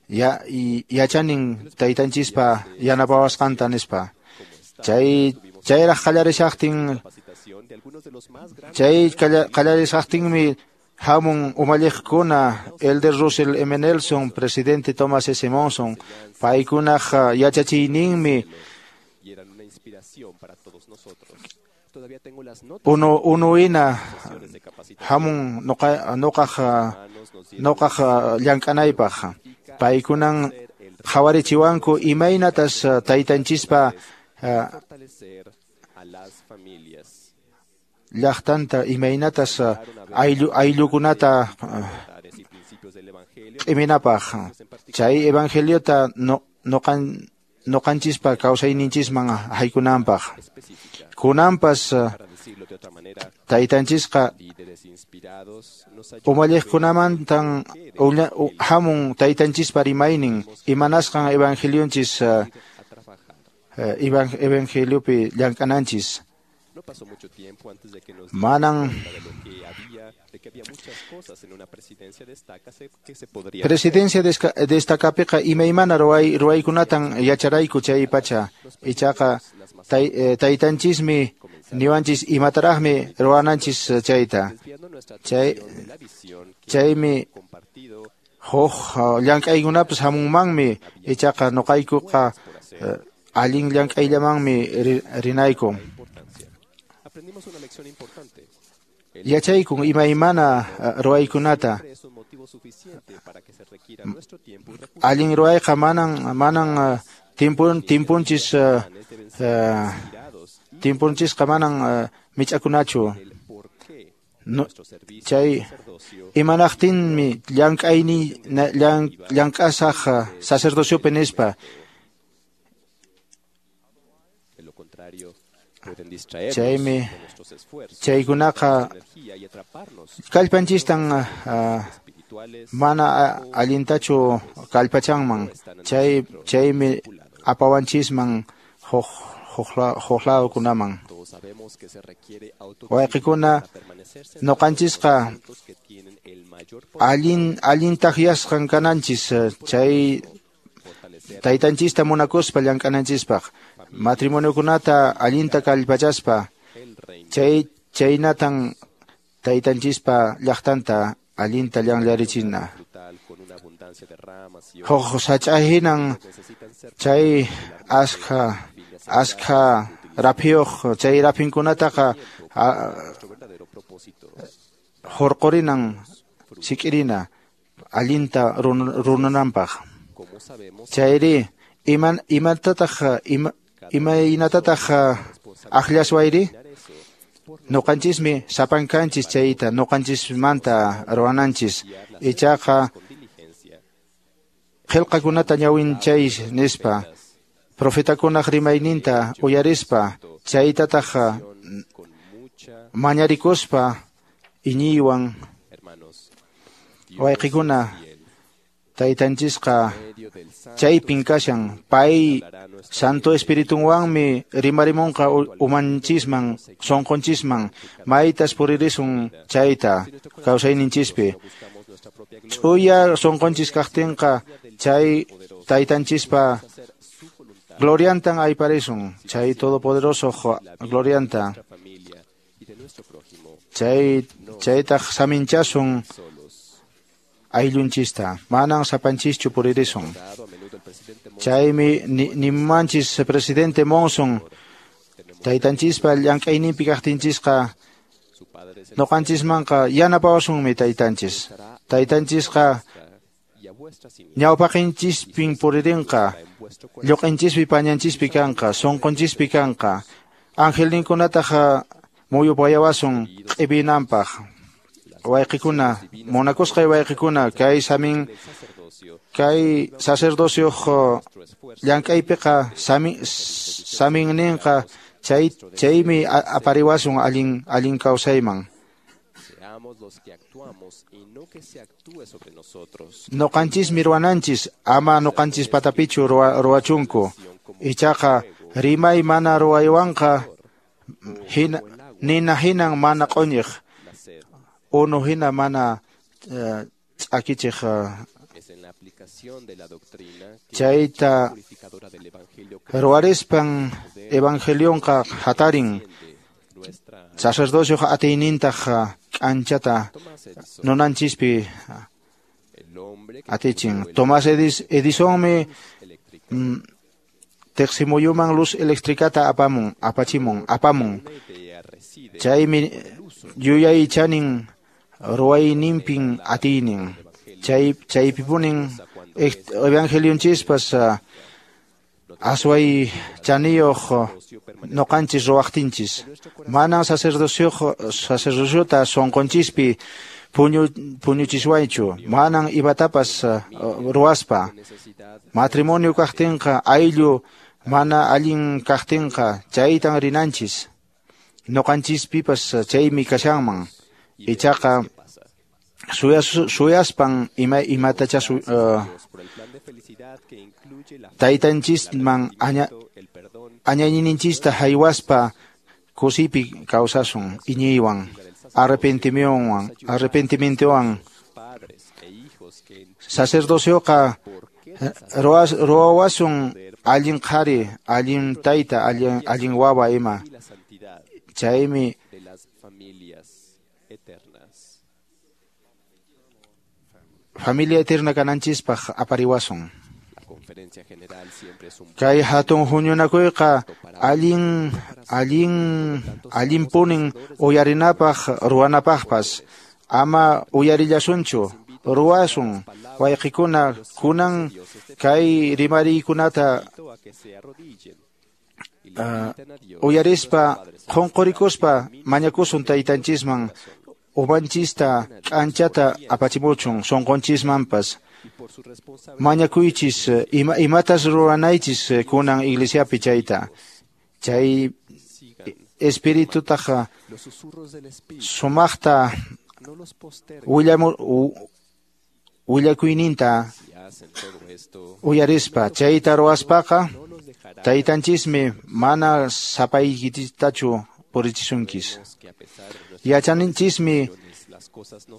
ya yachanin taytanchispa yanapawasqanta nispa. Chay chayraq qallarishaqtin chay qallarishaqtinmi hamun umalliqkuna Elder Russell M. Nelson, presidente Thomas S. Monson, paykunaq yachachiyninmi unu unuina hamun noqa noqaq noqaq llank'anaypaq. Paykunan qhawarichiwanku imaynatas taytanchispa llaqtanta imaynatas ayllu ayllukunata q'iminapaq. Chay evangeliota no noqan noqanchispa kawsayninchisman haykunanpaq. Kunanpas taytanchisqa umalliqkunamantan hamun taytanchispa rimaynin imanasqan evangelionchis evangeliopi llank'ananchis. Manan presidencia destacapiqa imaymana ruway ruwaykunatan yacharayku chay pacha. Ichaqa taytanchismi niwanchis imataraqmi ruwananchis chayta. Chay chaymi huk llank'aykunapas hamunmanmi ichaqa noqaykuqa allin llank'ayllamanmi rinayku. Yachaykun imaymana ruwaykunata. Allin ruwayqa manan manan timpun timpunchis timpunchisqa manan mich'akunachu. No, chay imanaqtinmi llank'ayni llank'asaq sacerdociopi nispa. Chaymi chaykunaqa kallpanchistan mana allintachu kallpachanman. Chay chaymi apawanchisman huk huk lawkunaman. Wayqikuna noqanchisqa allin allin takyasqan kananchis chay taytanchista munakuspa llank'ananchispaq. Matrimoniokunata allinta kallpachaspa chay chaynatan taytanchispa llaqtanta allinta llanllarichina. Huk sach'a hinan chay askha askha raphiyuq chay raphinkunataqa hurqurinan sik'irina allinta rununanpaq. Chayri iman imatataq ima imaynatataq aqllaswayri noqanchismi sapankanchis chayta noqanchismanta ruwananchis. Ichaqa qillqakunata ñawinchay nispa profetakunaq rimayninta uyarispa chaytataq mañarikuspa iñiywan Wayqikuna, taytanchisqa chaypin kashan, pay Santo Espiritunwanmi rimarimunqa umanchisman, sonqonchisman, maytas puririsun chayta kawsayninchispi. Ch'uya sonqonchis kaqtinqa chay taytanchispa gloriantan ayparisun, chay todopoderoso glorianta. Chay chaytaq saminchasun ayllunchista, manan sapanchischu puririsun. Chaymi nimanchis presidente Monson, taytanchispa llank'ayninpi kaqtinchisqa noqanchismanqa yanapawasunmi taytanchis. Taytanchisqa ñawpaqinchispin puririnqa, lluq'inchispi pañanchispi kanqa, sunqunchispi kanqa. Angelninkunataq muyupayawasun q'ipinanpaq. Wayqikuna, munakusqay wayqikuna, kay samin kay sacerdocio llank'aypiqa samin saminninqa chay chaymi apariwasun allin allin kawsayman. Noqanchismi ruwananchis, ama noqanchis patapichu ruwachunku. Ichaqa rimay mana ruwaywanqa hina nina hinan mana q'uñiq, unu hina mana ch'akichiq. Chayta ruwarispan evangelionqa hatarin, sacerdocioqa atiynintaq k'anchata nunanchispi atichin. Tomás Edisonmi teqsimuyuman luz eléctricata apamun, apachimun, apamun. Chaymi yuyaychanin ruwayninpin atiynin. Chay chaypipunin evangelionchispas asway chaniyuq noqanchis ruwaqtinchis. Manan sacerdocio sacerdociota sonqonchispi puñu puñuchiswaychu, manan imatapas ruwaspa. Matrimonio kaqtinqa, ayllu mana allin kaqtinqa chaytan rinanchis. Noqanchispipas chaymi kashanman. Ichaqa suyaspan ima imatacha uh, taytanchisman aña añayninchista haywaspa kusipi kawsasun iñiywan, arrepentimientowan, arrepentimientowan. Sacerdocioqa ruwas ruwawasun allin qhari, allin tayta, allin allin wawa ima. Chaymi familia eterna kananchispaq apariwasun. Kay hatun huñunakuyqa allin allin allinpunin uyarinapaq ruwanapaqpas. Ama uyarillasunchu, ruwasun. Wayqikuna, kunan kay rimariykunata uh, uyarispa qunqurikuspa mañakusun taytanchisman umanchista k'anchata apachimuchun sunqunchismanpas. Mañakuychis ima, imatas ruwanaychis kunan iglesiapi chayta. Chay espiritutaqa sumaqta willamu willakuyninta uyarispa chayta ruwaspaqa taytanchismi mana sapaykichitachu purichisunkis. Yachaninchismi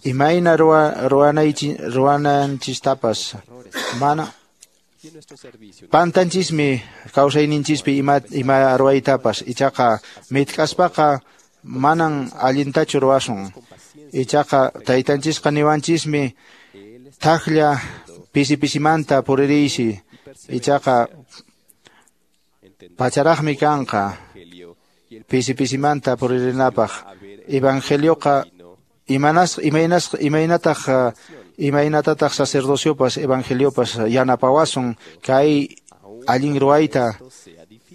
imayna ruwanaychi ruwananchistapas. Mana pantanchismi kawsayninchispi ima ima ruwaytapas. Ichaqa mitk'aspaqa manan allintachu ruwasun. Ichaqa taytanchisqa niwanchismi thaqlla pisi pisimanta puririysi. Ichaqa pacharaqmi kanqa pisi pisimanta puririnapaq. Evangelioqa imanas imaynas imaynataq imaynatataq sacerdociopas evangeliopas yanapawasun kay allin ruwayta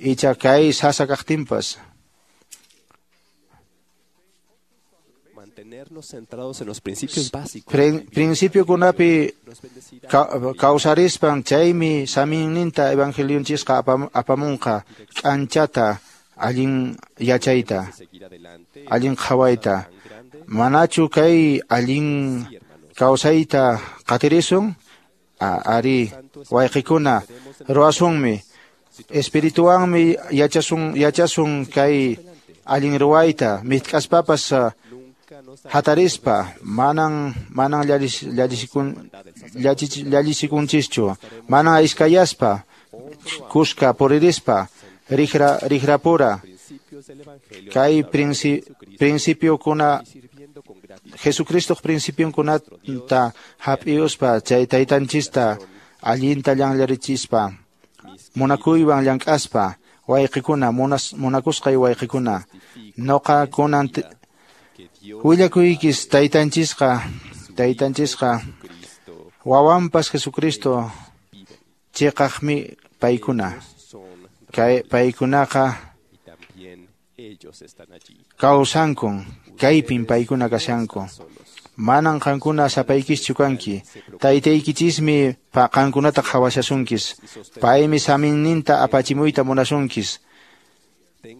icha kay sasa kaqtinpas. Principiokunapi kawsarispan chaymi saminninta evangelionchisqa apamunqa k'anchata allin yachayta, allin qhawayta. Manachu kay allin kawsayta qatirisun? Ari, wayqikuna, ruwasunmi. Espirituwanmi yachasun yachasun kay allin ruwayta, mitk'aspapas hatarispa, manan manan llachisikun llallisikunchikchu, manan iskayaspa, kuska puririspa, rijra rijrapura. Kay principiokuna Jesucristo principionkunata hap'iyuspa chay taytanchista allinta llanllarichispa, munakuywan llank'aspa, wayqikuna, munas munakusqay wayqikuna, noqa kunan willakuykis taytanchisqa taytanchisqa wawanpas Jesucristo chiqaqmi paykuna. Kay paykunaqa kawsankun, kaypin paykuna kashanku. Manan qankuna sapaykischu kanki, taytaykichismi qankunata qhawashasunkis, paymi saminninta apachimuyta munasunkis,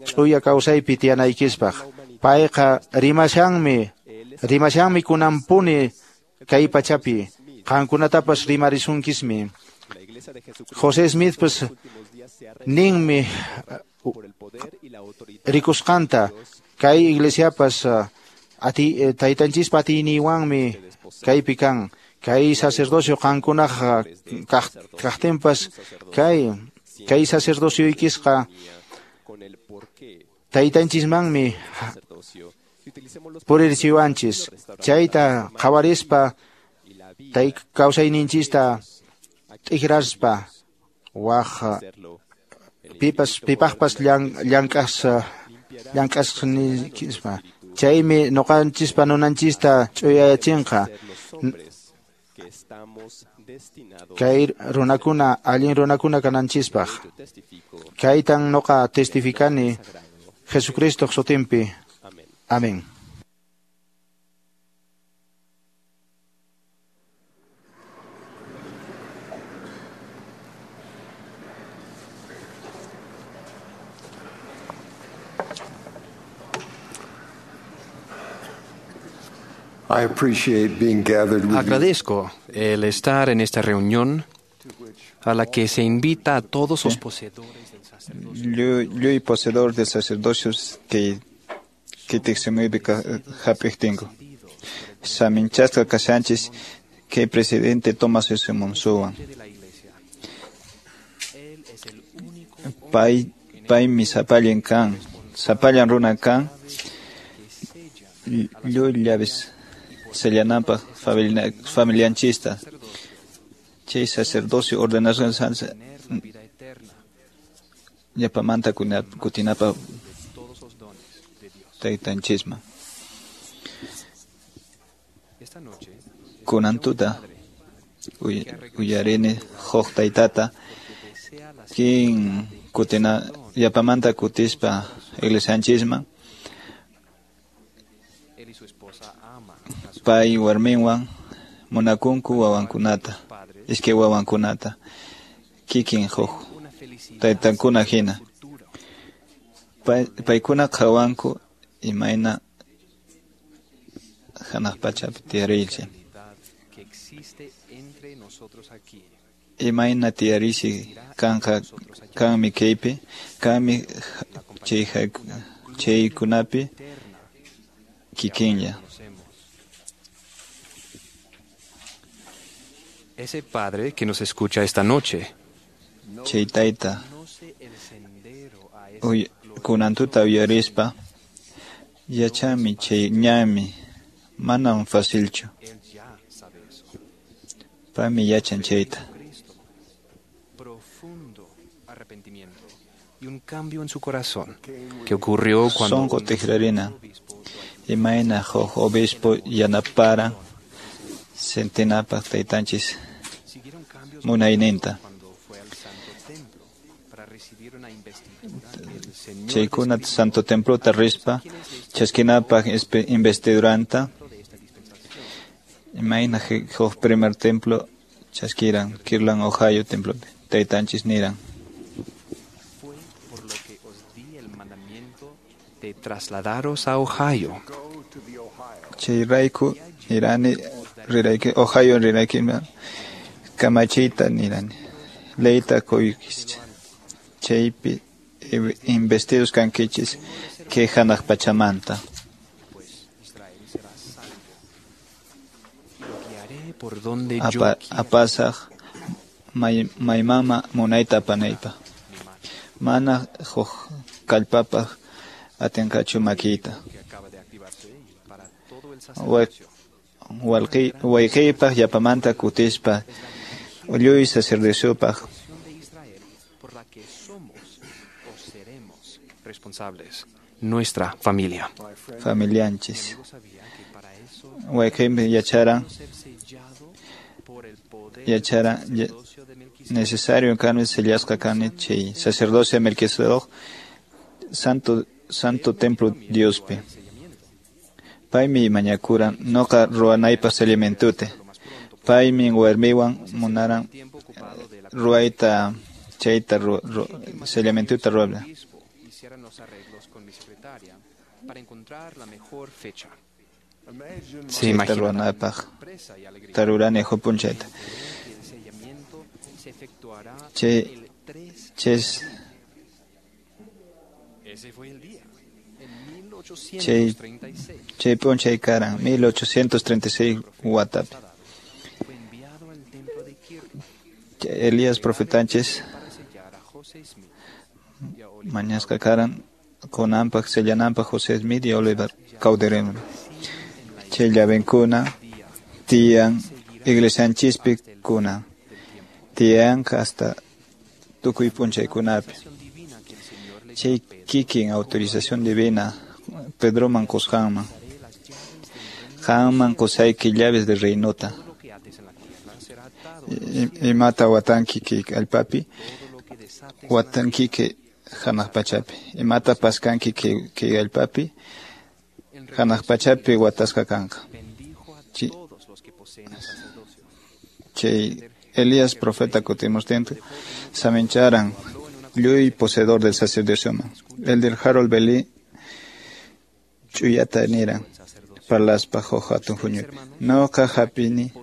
ch'uya kawsaypi tiyanaykispaq. Payqa rimashanmi, rimashanmi kunanpuni kay pachapi, qankunatapas rimarisunkismi. José Smith pues ninmi rikusqanta kay iglesiapas ati taytanchispa atiyninwanmi kaypi kan, kay sacerdocio qankunaq kaqtinpas kay kay sacerdocioykisqa taytanchismanmi purirchiwanchis. Chayta qhawarispa tay kawsayninchista t'ikraspa waq pipas pipaqpas llank'as llank'asqnispa. Chaymi noqanchispa nunanchista ch'uyayachinqa. Kay runakuna allin runakuna kananchispaq. Kaytan noqa testificani Jesucristo sutinpi. Amén. I appreciate being gathered with you. Agradezco el estar en esta reunión a la que se invita a todos los poseedores del sacerdocio. Lluy poseedor del sacerdocio que que tiqsimuypi hap'iqtinku. Saminchasqa kashanchis kay presidente Thomas S. Monsowan. Pay paymi sapallan kan, sapallan runa kan, lluy llaves sellananpaq familianchista. Chay sacerdocio ordenasqan llapamanta kutinapaq taytanchisman. Kunan tuta uyarini huk taytata kin kutina llapamanta kutispa iglesianchisman pay warminwan munakunku wawankunata, iskay wawankunata kikin huk taytankuna hina. Paykuna qhawanku imayna hanaq pachapi tiyariychi. Imayna tiyariysi kanqa kanmi kaypi, kanmi chay chaykunapi kikinlla. Ese padre que nos escucha esta noche. Chay tayta kunan tuta uyarispa yachanmi chay ñanmi manam facilchu. Paymi yachan chayta. Y un cambio en su corazón que ocurrió cuando Sonqo tikrarina imayna huk obispo yanapara sentinapaq taytanchis munayninta. Chaykuna santo templota rispa chaskinapaq investiduranta imayna huk primer templo chaskiran Kirtland, Ohio templopi taytanchis niran. De trasladaros a Ohio. Chayrayku nirani rirayki Ohio rirayki kamachiyta nirani leyta qoykis chaypi investidos kankichis kay hanaq pachamanta. Por donde yo Apa, apasaq may, maymama munayta apanaypaq mana huk kallpapaq atinqachu makiyta. Wayqiypaq yapamanta kutispa lluy sacerdociopaq por la que somos o seremos responsables nuestra familia. Familianchis. Wayqiymi yacharan yacharan necesario kani sellasqa kani chay sacerdocio Melquisedec santo santo templo Diospi. Paymi mañakuran noqa ruwanaypaq sellamientote. Paymi warmiwan munaran ruwayta chayta sellamientota ruwabla. Se imagina ruwanaypaq tarurani hupunchayta. Chay ches Chay chay p'unchay karan mil ochocientos treinta y seis watapi. Elías profetanchis mañasqa karan kunanpaq sellananpaq José Smith y Oliver Cowdery. Chay llavenkuna tiyan iglesianchispi kunan tiyanqa hasta tukuy p'unchaykunapi. Chay kikin autorización divina Pedroman qusqanman qanman qusayki llaves de reinota. Imata watanki kay allpapi watanki kay hanaq pachapi imata paskanki kay allpapi hanaq pachapi watasqa kanqa. Chay Elías profeta kutimuqtinqa samincharan lluy poseedor del sacerdocioman. El del Harold Belli ch'uyata niran parlaspa huk hatun huñupi. Noqa hap'ini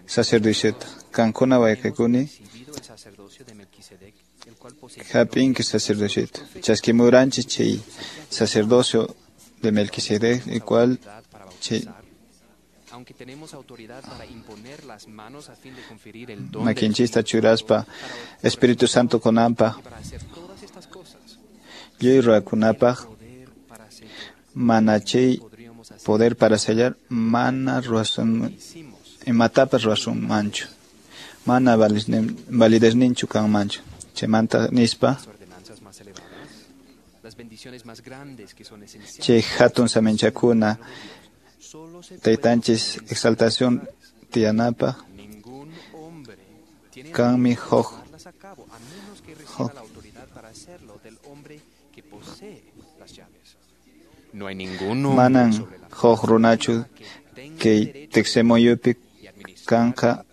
sacerdociota qankuna wayqikuni hap'inki sacerdociota. Chaskimuranchis chay sacerdocio de Melquisedec, el cual chay aunque tenemos autoridad para imponer las manos a fin de conferir el don makinchista churaspa Espíritu Santo kunanpaq lluy ruwakunapaq mana chay poder para sellar mana ruwasun imatapas ruwasunmanchu mana validezninchu kanmanchu chaymanta nispa chay hatun saminchakuna taytanchis exaltación tiyanapaq kanmi huk huk manan huk runachu kay tiqsimuyupi kanqa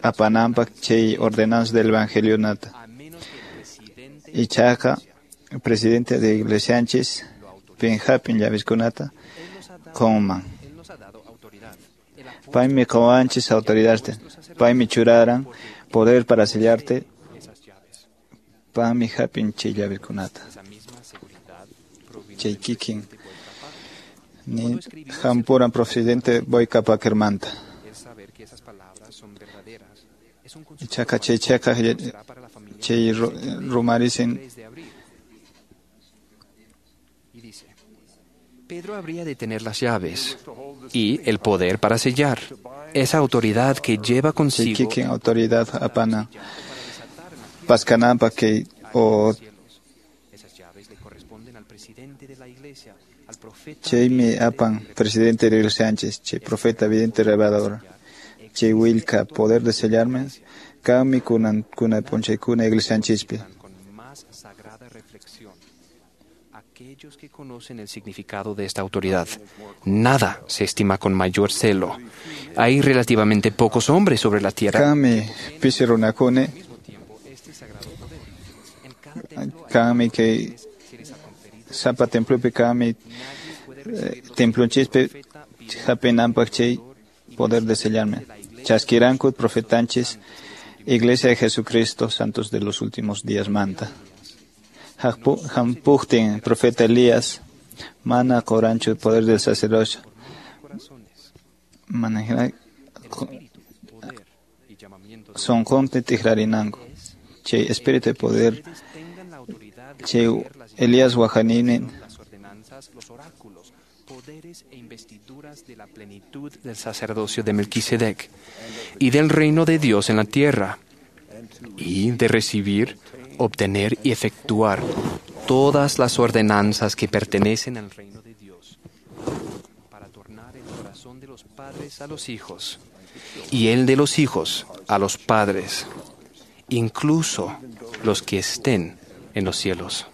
apananpaq chay ordenanza del evangelionata. Ichaqa presidente de iglesianchis pinhapin llaviskunata qunman. Paymi quwanchis autoridadta. Paymi churaran poder para sellarte. Paymi hapin chay llavikunata. Chay kikin ni hampuran presidente Boyka Paquermanta. Ichaqa chay chaqa chay rumarisin Pedro habría de tener las llaves y el poder para sellar. Esa autoridad que lleva consigo kikin autoridad apana paskananpaq kay o chaymi apan presidente de iglesia Sánchez, chay profeta vidente revelador, chay willka poder de sellarme kanmi kunan kuna p'unchaykuna iglesianchispi. Aquellos que conocen el significado de esta autoridad. Nada se estima con mayor celo. Hay relativamente pocos hombres sobre la tierra. Kanmi pisi runakuna kanmi kay sapa templopi kami templonchispi hapinanpaq chay poder de sellarme. Chaskiranku profetanchis Iglesia de Jesucristo, santos de los últimos días manta. Hampujtin, profeta Elías, mana corancho, poder del sacerdocio. Mana son conte tigrarinango. Che espíritu de poder. Che Elías Guajanine. Poderes e investiduras de la plenitud del sacerdocio de Melquisedec y del reino de Dios en la tierra, y de recibir, obtener y efectuar todas las ordenanzas que pertenecen al reino de Dios, para tornar el corazón de los padres a los hijos y el de los hijos a los padres, incluso los que estén en los cielos.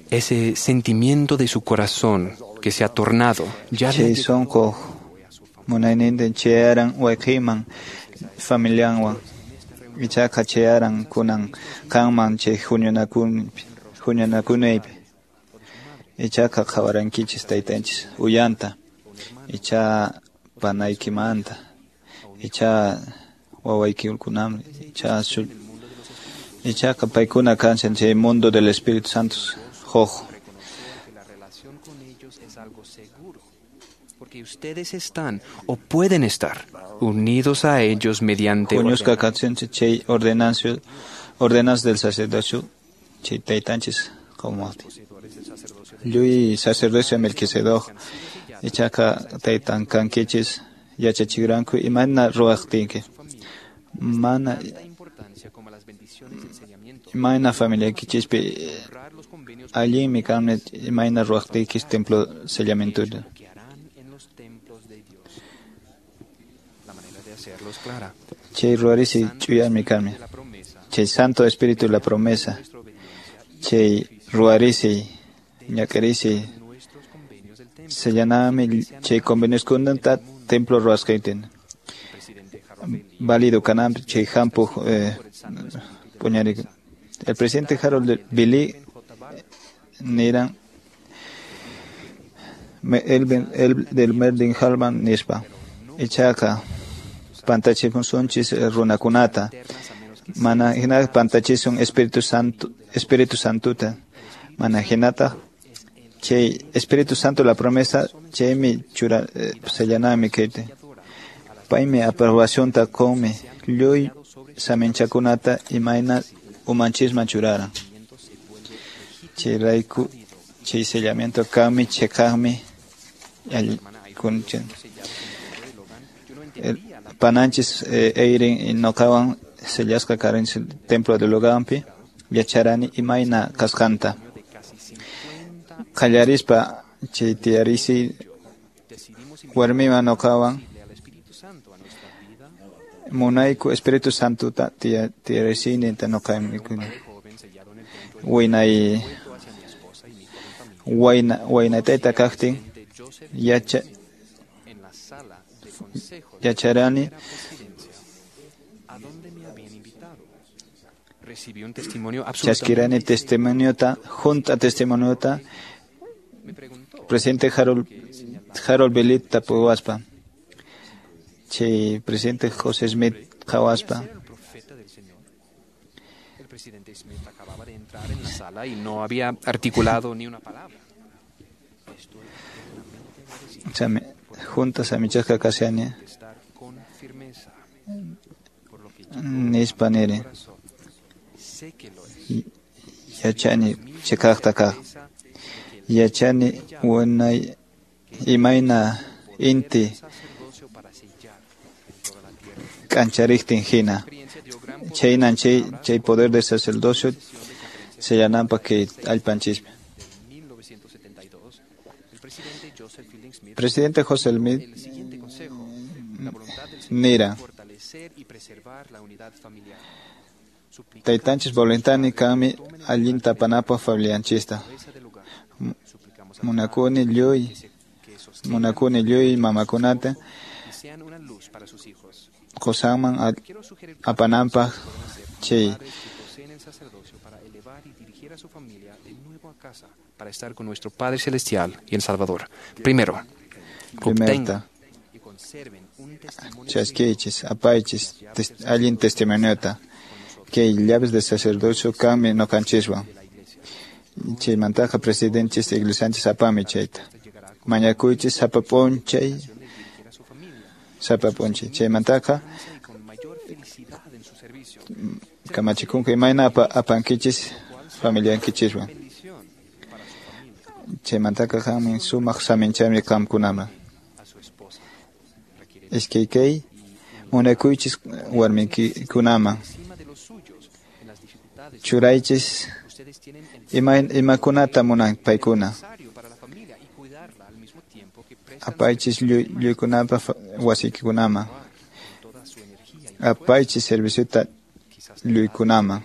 Ese sentimiento de su corazón que se ha tornado ya Che sonko munaynintin chayaran wayqiman familianwan ichaqa chayaran kunan qanman chay huñunakunaypi ichaqa qhawarankichis taytanchis uyanta icha panaykimanta icha wawaykikunaman icha ichaqa paykuna kanchan chay mundo del Espíritu Santo. Jojo. La relación con ellos es algo seguro, porque ustedes están o pueden estar unidos a ellos mediante Huñusqa kachinchis chay ordenanza ordenanza del sacerdocio chay taytanchis qawmaqtin. Lluy sacerdocio Melquisedec ichaqa taytan kankichis yachachikranku imayna ruwaqtinki. Mana imayna familiaykichispi allinmi kanmi imayna ruwaqtiykis templo sellamientuta. Chay ruwarisi ch'uyarmi kanmi. Chay Santo Espíritu la promesa. Chay ruwarisi ñak'arisi sellanami chay convenioskunata templo ruwasqaytin. Válido kananpi chay hampuq eh, puñarik. El presidente Harold Billy niran el, el del Merlin Halman nispa ichaqa pantachisunchis runakunata mana hina pantachisun Espíritu Santo Espíritu Santuta mana hinata chay Espíritu Santo la promesa chaymi chura eh, sellanami kayta paymi aprobacionta qunmi lluy saminchakunata imayna umanchisman churaran chayrayku chay sellamiento kanmi cheqaqmi pananchis eirin noqawan sellasqa karanchis templo de Loganpi yacharani imayna kasqanta qallarispa chay tiyarisi warmiwan noqawan munayku Espíritu Santuta tiyarisinita noqaykuna winay wayna waynatayta kaqtin yacha yacharani chaskirani testimoniota junta testimoniota presidente Harold Harold Belit tapuwaspa chay presidente José Smith qhawaspa. El presidente Smith acababa de entrar en la sala y no había articulado ni una palabra. Chame, juntas amichasqa kashani nispa niri yachani cheqaqta kaq yachani wanay imayna inti k'anchariqtin hina chaynan chay chay poder del sacerdocio sellananpaq kay allpanchispi. Presidente José Smith nira taytanchis voluntani kanmi allinta apanapaq familianchista munakuni lluy munakuni lluy mamakunata qosanman apananpaq chay dirigiera a su familia de nuevo a casa para estar con nuestro Padre Celestial y el Salvador. Primero, Primerta, y conserven un testimonio chaskichis, apaychis, tes, allin testimoniota, kay llaves de sacerdocio kanmi noqanchiswan. Chaymantaqa presidenchis iglesianchis apami chayta. Mañakuychis sapa p'unchay, sapa p'unchay. Chaymantaqa kamachikunqa imayna apa, apankichis familiankichiswan. Chaymantaqa qanmi sumaq saminchaymi qamkunaman. Iskay kay munakuychis warmikikunaman. Churaychis ima, imakunata munan paykuna. Apaychis lluykunapa wasiykunaman. Apaychis serviciota lluykunaman.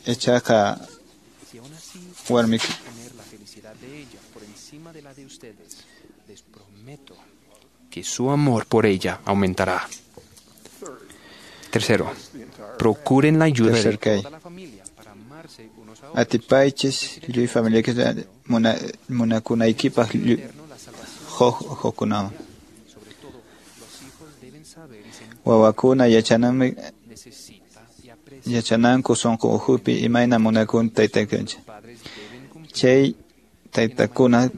Ichaqa warmik que su amor por ella aumentará. Tercero, procuren la ayuda de toda la familia para amarse unos a otros. Atipaychis lluy familiakis muna munakunaykipaq huk hukkunaman. Wawakuna yachananmi yachananku sunqu ukhupi imayna munakun taytakunchik. Chay taytakuna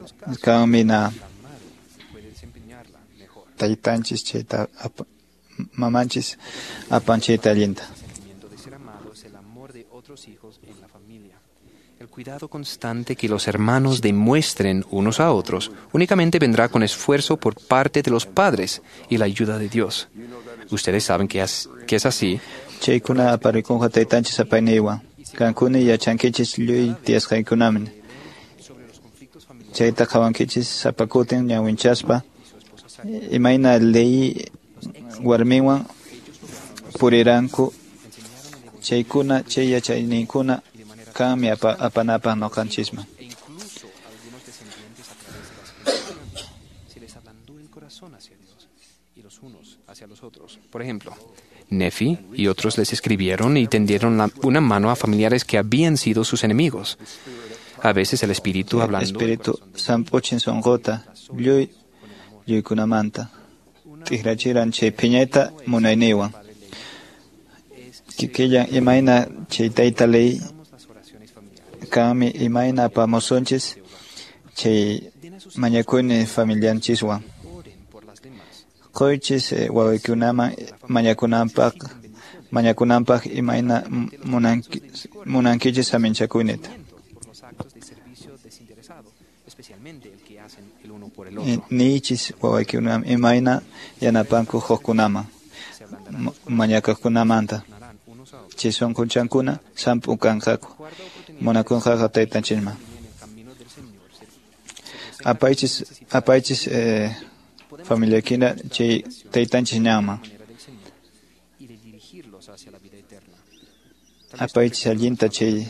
kanmi na taytanchis chayta apa, mamanchis apan chayta allinta. El cuidado constante que los hermanos demuestren unos a otros únicamente vendrá con esfuerzo por parte de los padres y la ayuda de Dios. Ustedes saben que es, que es así. Chaykuna aparikunqa taytanchis apayniywan. Qankuna yachankichis lluy tiyasqaykunaman. Chayta qhawankichis sapa kutin ñawinchaspa imayna leyi warmiwan puriranku chaykuna chay yachayninkuna kanmi apa, apanapaq noqanchisman. Por ejemplo, Nefi y otros les escribieron y tendieron la, una mano a familiares que habían sido sus enemigos. A veces el Espíritu hablando. Espíritu samp'uchin sunquta lluy lluykunamanta t'ikrachiran chay phiñayta munayninwan. Kikillan imayna chay tayta ley kanmi imayna apamusunchis chay mañakuyni familianchiswan. Quychis eh, wawaykunaman mañakunanpaq mañakunanpaq imayna munanki, munankichis saminchakuynita. Niychis wawaykunaman imayna yanapanku hukkunaman mañakuqkunamanta. Chay sunqunchankuna samp'u kanqaku munakunqaqa taytanchisman. Apaychis apaychis eh, familiakina chay taytanchis ñanman. Apaychis allinta chay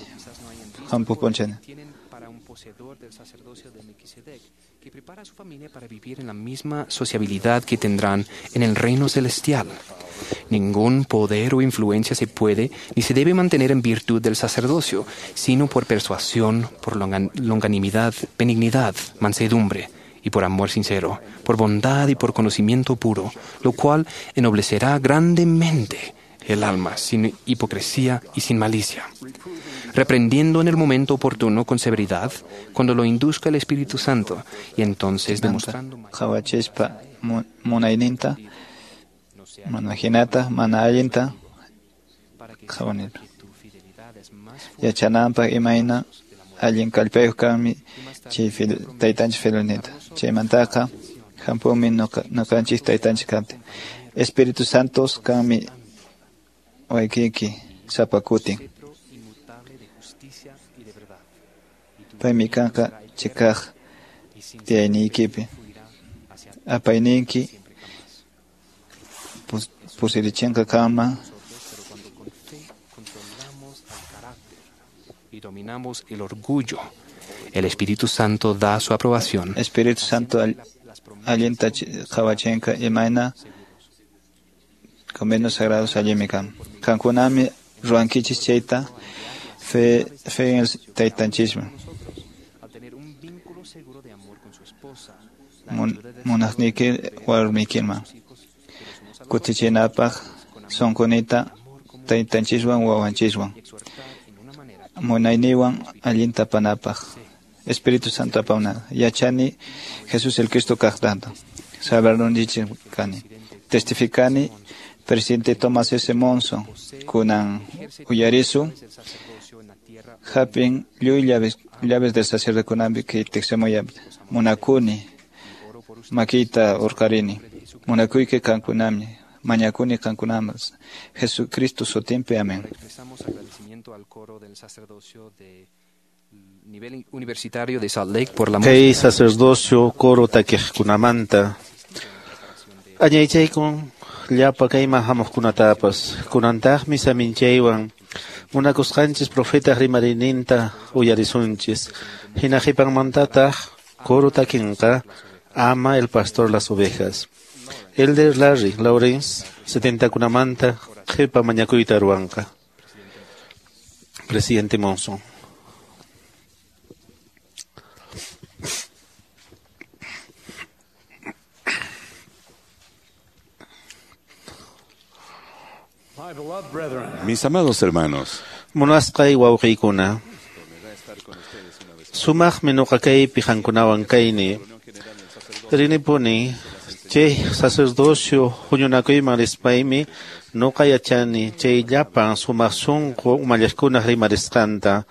hampuq p'unchayta. Que prepara a su familia para vivir en la misma sociabilidad que tendrán en el reino celestial. Ningún poder o influencia se puede ni se debe mantener en virtud del sacerdocio, sino por persuasión, por longanimidad, benignidad, mansedumbre y por amor sincero, por bondad y por conocimiento puro, lo cual ennoblecerá grandemente el alma, sin hipocresía y sin malicia, reprendiendo en el momento oportuno con severidad, cuando lo induzca el Espíritu Santo, y entonces demostrando qhawachispa munayninta mana hinata mana allinta qhawanirpa yachananpaq imayna allin kallpayuq kanmi chay taytanchik fidelninta. Chaymantaqa hampunmi noqanchik taytanchik kaptin. Espíritu Santos kanmi waykiyki sapa kutin. Paymi kanqa chikaq tiyayniykipi. Apayninki pusirichinqa kanman. Y dominamos el orgullo. El Espíritu Santo da su aprobación. Espíritu Santo allinta qhawachinqa imayna convenios sagrados allinmi kan. Qankunami ruwankichis chayta Fe, fe en el taytanchisman. Munaqniyki warmiykiman. Kutichinapaq sunqunita taytanchiswan wawanchiswan. Munayniwan allinta apanapaq. Espíritu Santo apauna. Yachani Jesús el Cristo kaqtanta. Salvadorninchik kani. Testificani presidente Thomas S. Monson kunan uyarisun hapin lluy llaves, llaves del sacerdote kunampi kay tiqsimuyapi. Munakuni makiyta urqarini. Munakuyki qankunami. Mañakuni qankunamas. Jesucristo sutinpi. Amén. Expresamos agradecimiento al coro del sacerdocio de nivel universitario de Salt Lake por la Kay sacerdocio coro takiqkunamanta. Añaychaykun llapa kayman hamuqkunatapas. Kunantaqmi saminchaywan munakusqanchis profeta rimarininta uyarisunchis. Hina qhipanmantataq coro takinqa ama el pastor las ovejas. Elder Larry Lawrence setentakunamanta qhipa mañakuyta ruwanqa. Presidente Monson. Mis amados hermanos, Munasqay wawqiykuna. Sumaqmi nuqa kaypi qankunawan kayni. Rinipuni chay sacerdocio huñunakuyman rispaymi nuqa yachani chay llapan sumaq sunqu umalliqkunaq rimarisqanta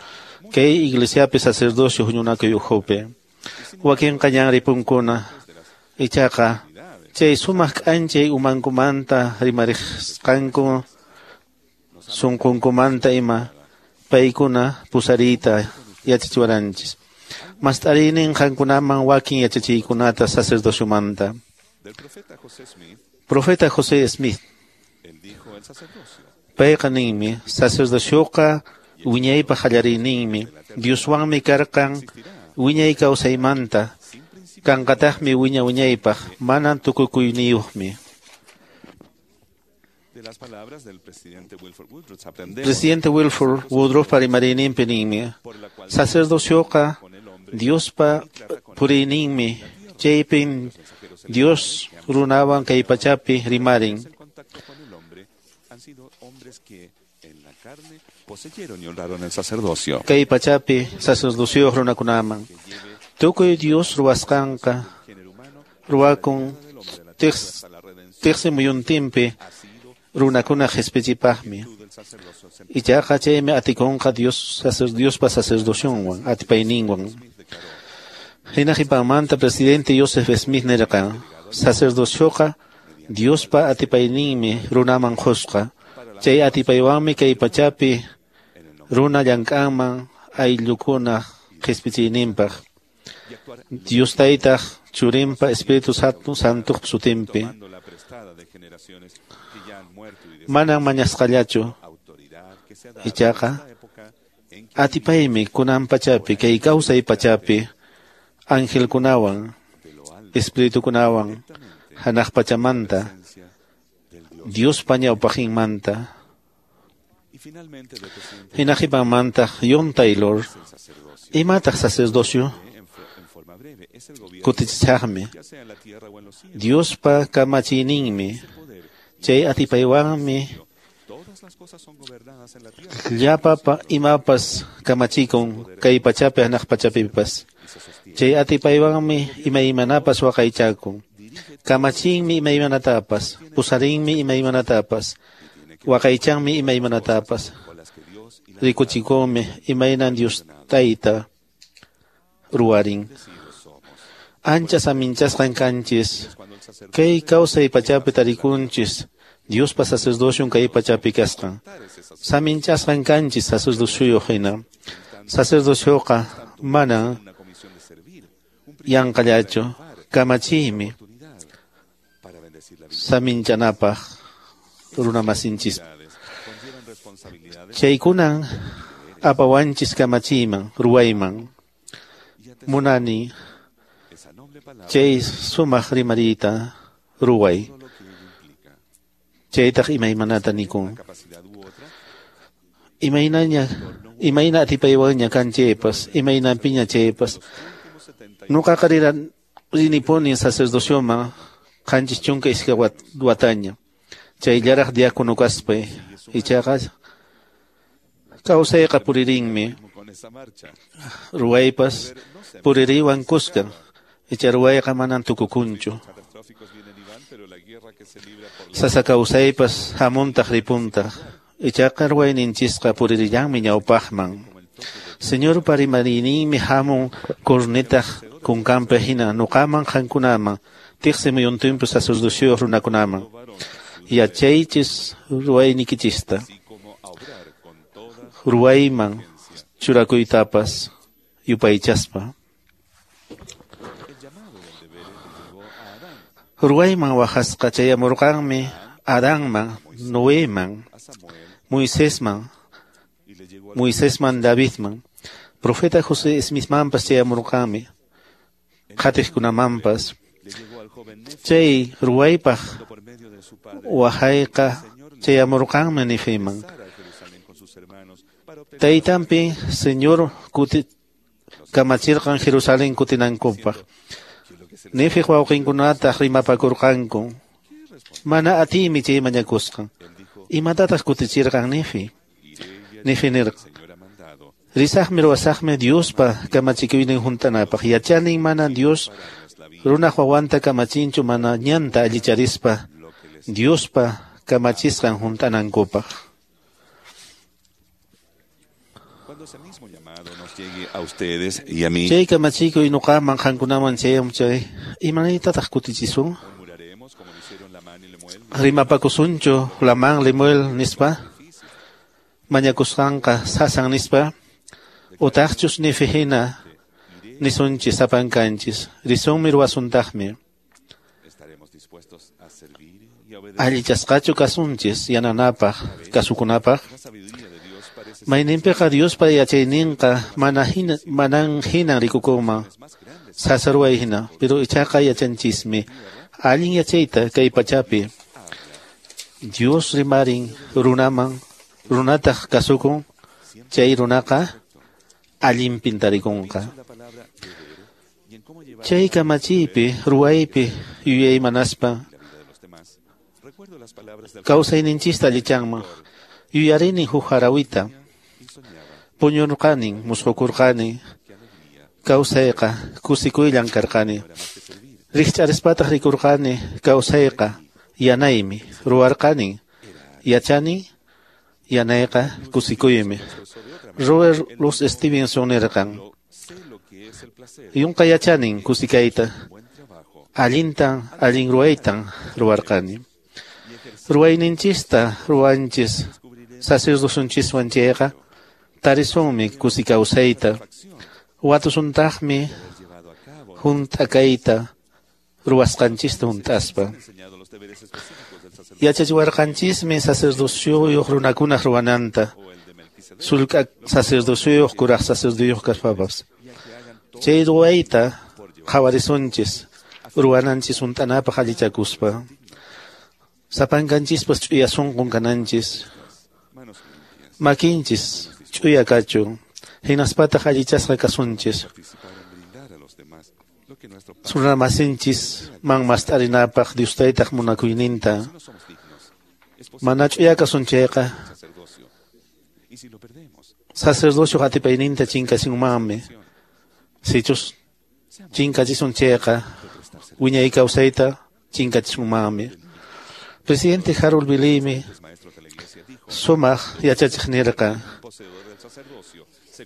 kay iglesiapi sacerdocio huñunakuy ukhupi. Wakinqa ñan ripunkuna ichaqa chay sumaq k'anchay umankumanta rimarisqanku sunqunkumanta ima paykuna pusariyta yachachiwaranchis. Mast'ariynin qankunaman wakin yachachiykunata sacerdociomanta. Profeta José Smith payqa ninmi sacerdocioqa wiñaypaq qallariyninmi Dioswanmi karqan wiñay kawsaymanta kanqataqmi wiña wiñaypaq manan tukukuyniyuqmi. Presidente Wilford Woodruff rimariyninpi ninmi sacerdocioqa Diospa puriyninmi chaypin Dios runawan kay pachapi rimarin. Kay pachapi sacerdocio runakunaman. Tukuy Dios ruwasqanqa ruwakun tiqsi muyuntinpi runakuna qhispichipaqmi. Ichaqa chaymi atikunqa Dios Diospa sacerdocionwan atipayninwan. Hina qhipanmanta presidente Joseph Smith nirqan sacerdocioqa Diospa atipayninmi runaman qusqa. Chay atipaywanmi kay pachapi runa llank'anman ayllukuna qhispichiyninpaq. Dios taytaq churinpa Espíritu Santuq sutinpi. Manan mañasqallachu ichaqa atipaymi kunan pachapi kay kawsay pachapi angelkunawan espiritukunawan hanaq pachamanta Diospa ñawpaqinmanta. Hina qhipanmantaq John Taylor imataq sacerdocio kutichisaqmi Diospa kamachiyninmi chay atipaywanmi llapa imapas kamachikun kay pachapi hanaq pachapipas. Chay atipaywanmi imaymanapas waqaychakun. Kamachinmi imaymanatapas, pusarinmi imaymanatapas, waqaychanmi imaymanatapas. Rikuchikunmi imaynan Dios tayta ruwarin. Ancha saminchasqan kanchis, kay kawsay pachapi tarikunchis, Diospa sacerdocion kay pachapi kasqan. Saminchasqan kanchis sacerdocioyuq hina. Sacerdocioqa manan yanqallachu, kamachiymi saminchanapaq runamasinchis. Chaykunan apawanchis kamachiyman, ruwayman. Munani chay sumaq rimariyta ruway. Chaytaq imaymanata nikun. Imaynaña Imayna atipaywanña kan chaypas, imaynanpiña chaypas. Nuqaqa rinipuni sacerdocioman qanchis chunka iskay wataña. Chayllaraq diácono kaspay, ichaqa kawsayqa puririnmi. Ruwaypas puririwan kuska, icha ruwayqa manan tukukunchu. Sasa kawsaypas hamuntaq ripuntaq, ichaqa ruwayninchisqa puririllanmi ñawpaqman. Señorpa rimariyninmi hamun cornetaq kunkanpi hina nuqaman qankunaman, tiqsi muyuntinpi sacerdocioyuq runakunaman. Yachaychis ruwaynikichista, ruwayman churakuytapas yupaychaspa. Ruwayman waqasqa chayamurqanmi Adanman, Noeman, Moisesman, Moisesman Davidman, profeta José Smithmanpas chayamurqanmi, qhatiqkunamanpas. Chay ruwaypaq waqayqa chayamurqanmi Nefiman. Taytanpi Señor kuti kamachirqan Jerusalén kutinankupaq. Nefiq wawqinkunataq rimapakurqanku. Mana atiymi chay mañakusqan. Imatataq kutichirqan Nefi? Nefi nirqan: Risaqmi ruwasaqmi Diospa kamachikuynin hunt'anapaq. Yachanin mana Dios runaq wawanta kamachinchu mana ñanta allicharispa Diospa kamachisqan hunt'anankupaq. Chay kamachikuy nuqaman qankunaman chayam chay, imanaytataq kutichisun? Rimapakusunchu Lamán Lemuel nispa, mañakusqanqa sasan nispa, utaqchus Nefi hina nisunchis sapankanchis, risunmi ruwasuntaqmi. Allichasqachu kasunchis yananapaq, kasukunapaq. Mayninpiqa Diospa yachayninqa mana hina, manan hinan rikukunman, sasa ruway hina, pero ichaqa yachanchismi allin yachayta kay pachapi. Dios rimarin runaman, runataq kasukun, chay runaqa allinpin tarikunqa. Chay kamachiypi, ruwaypi yuyaymanaspa kawsayninchista allichanman. Yuyarini huk harawita, puñurqanin, musqukurqani, kawsayqa kusikuyllan karqani. Rikch'arispataq rikurqani, kawsayqa yanaymi, ruwarqanin, yachani, yanayqa kusikuymi. Robert Louis Stevenson nirqan: Yunqa yachanin kusikayta, allintan, allin ruwaytan ruwarqani. Ruwayninchista ruwanchis sacerdocionchiswan chayqa tarisunmi kusikawsayta, watusuntaqmi hunt'akayta ruwasqanchista hunt'aspa. Yachachiwarqanchismi sacerdocioyuq runakunaq ruwananta, sullk'a sacerdocioyuq kuraq sacerdocioyuq kaspapas. Chay ruwayta qhawarisunchis ruwananchis hunt'anapaq allichakuspa. Sapankanchispas ch'uya sunqun kananchis, makinchis ch'uya kachun, hinaspataq allichasqa kasunchis. Runamasinchis man mast'arinapaq Dios taytaq munakuyninta. Mana ch'uya kasun chayqa sacerdocio atipayninta chinkasinmanmi. Sichus chinkachisun chayqa wiñay kawsayta chinkachisunmanmi. Presidente Harold Bilimi sumaq yachachiq nirqa: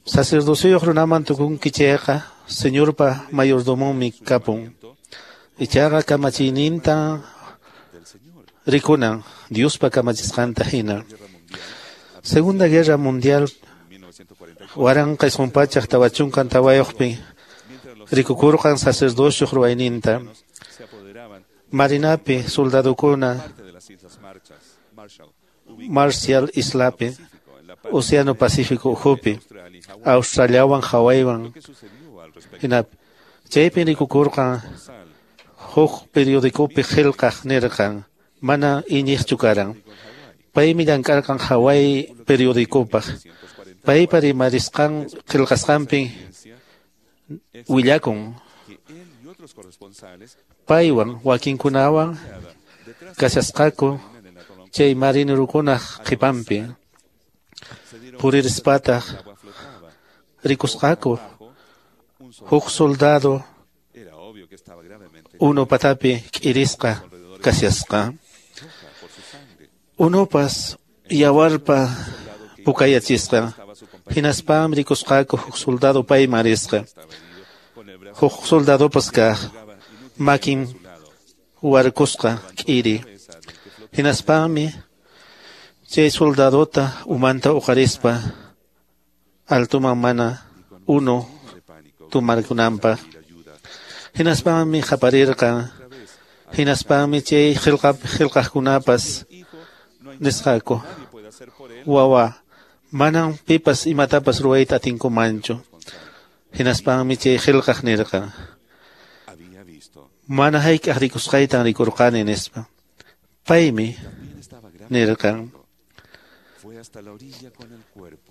Sacerdocioyuq runaman tukunki chayqa Señorpa mayordomonmi kapun. Ichaqa kamachiyninta rikunan Diospa kamachisqanta hina. Segunda Guerra Mundial waranqa isqun pachak tawa chunka tawayuqpi rikukurqan sacerdocioq ruwayninta. Marinapi soldadokuna Marshall Islapi, Océano Pacífico ukhupi, Australiawan Hawaiiwan hinapi. Chaypi rikukurqan huk periodicopi qillqaq nirqan mana iñiqchu karan. Paymi llank'arqan Hawaii periodicopaq. Paypa rimarisqan qillqasqanpi willakun. Paywan wakinkunawan kashasqaku chay marinerukunaq qhipanpi. Puririspataq rikusqaku huk soldado unu patapi k'irisqa kashasqa. Unupas yawarpa pukayachisqa. Hinaspam rikusqaku huk soldado payman risqa. Huk soldadopas kaq makin warkusqa k'iri. Hinaspami chay soldadota umanta uqarispa altuman mana unu tumarkunanpaq. Hinaspami qaparirqan. Hinaspami chay qillqaqkunapas nisqaku: Wawa, manam pipas imatapas ruwayta atinkumanchu. Hinaspami chay qillqaq nirqan: Mana hayk'aq rikusqaytan rikurqani, nispa. Paymi nirqan: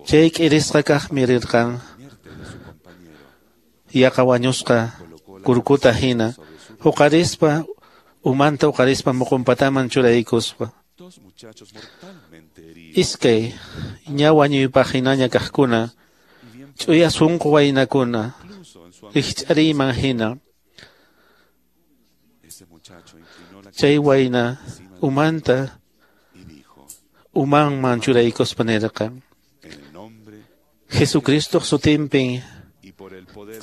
Chay k'irisqa kaqmi rirqan yaqa wañusqa kurkuta hina huqarispa umanta huqarispa muqunpataman churaykuspa. Iskay ña wañuypaq hinaña kaqkuna ch'uya sunqu waynakuna rikch'ariyman hina. Chay wayna umanta umanman churaykuspa nirqan: Jesucristoq sutinpi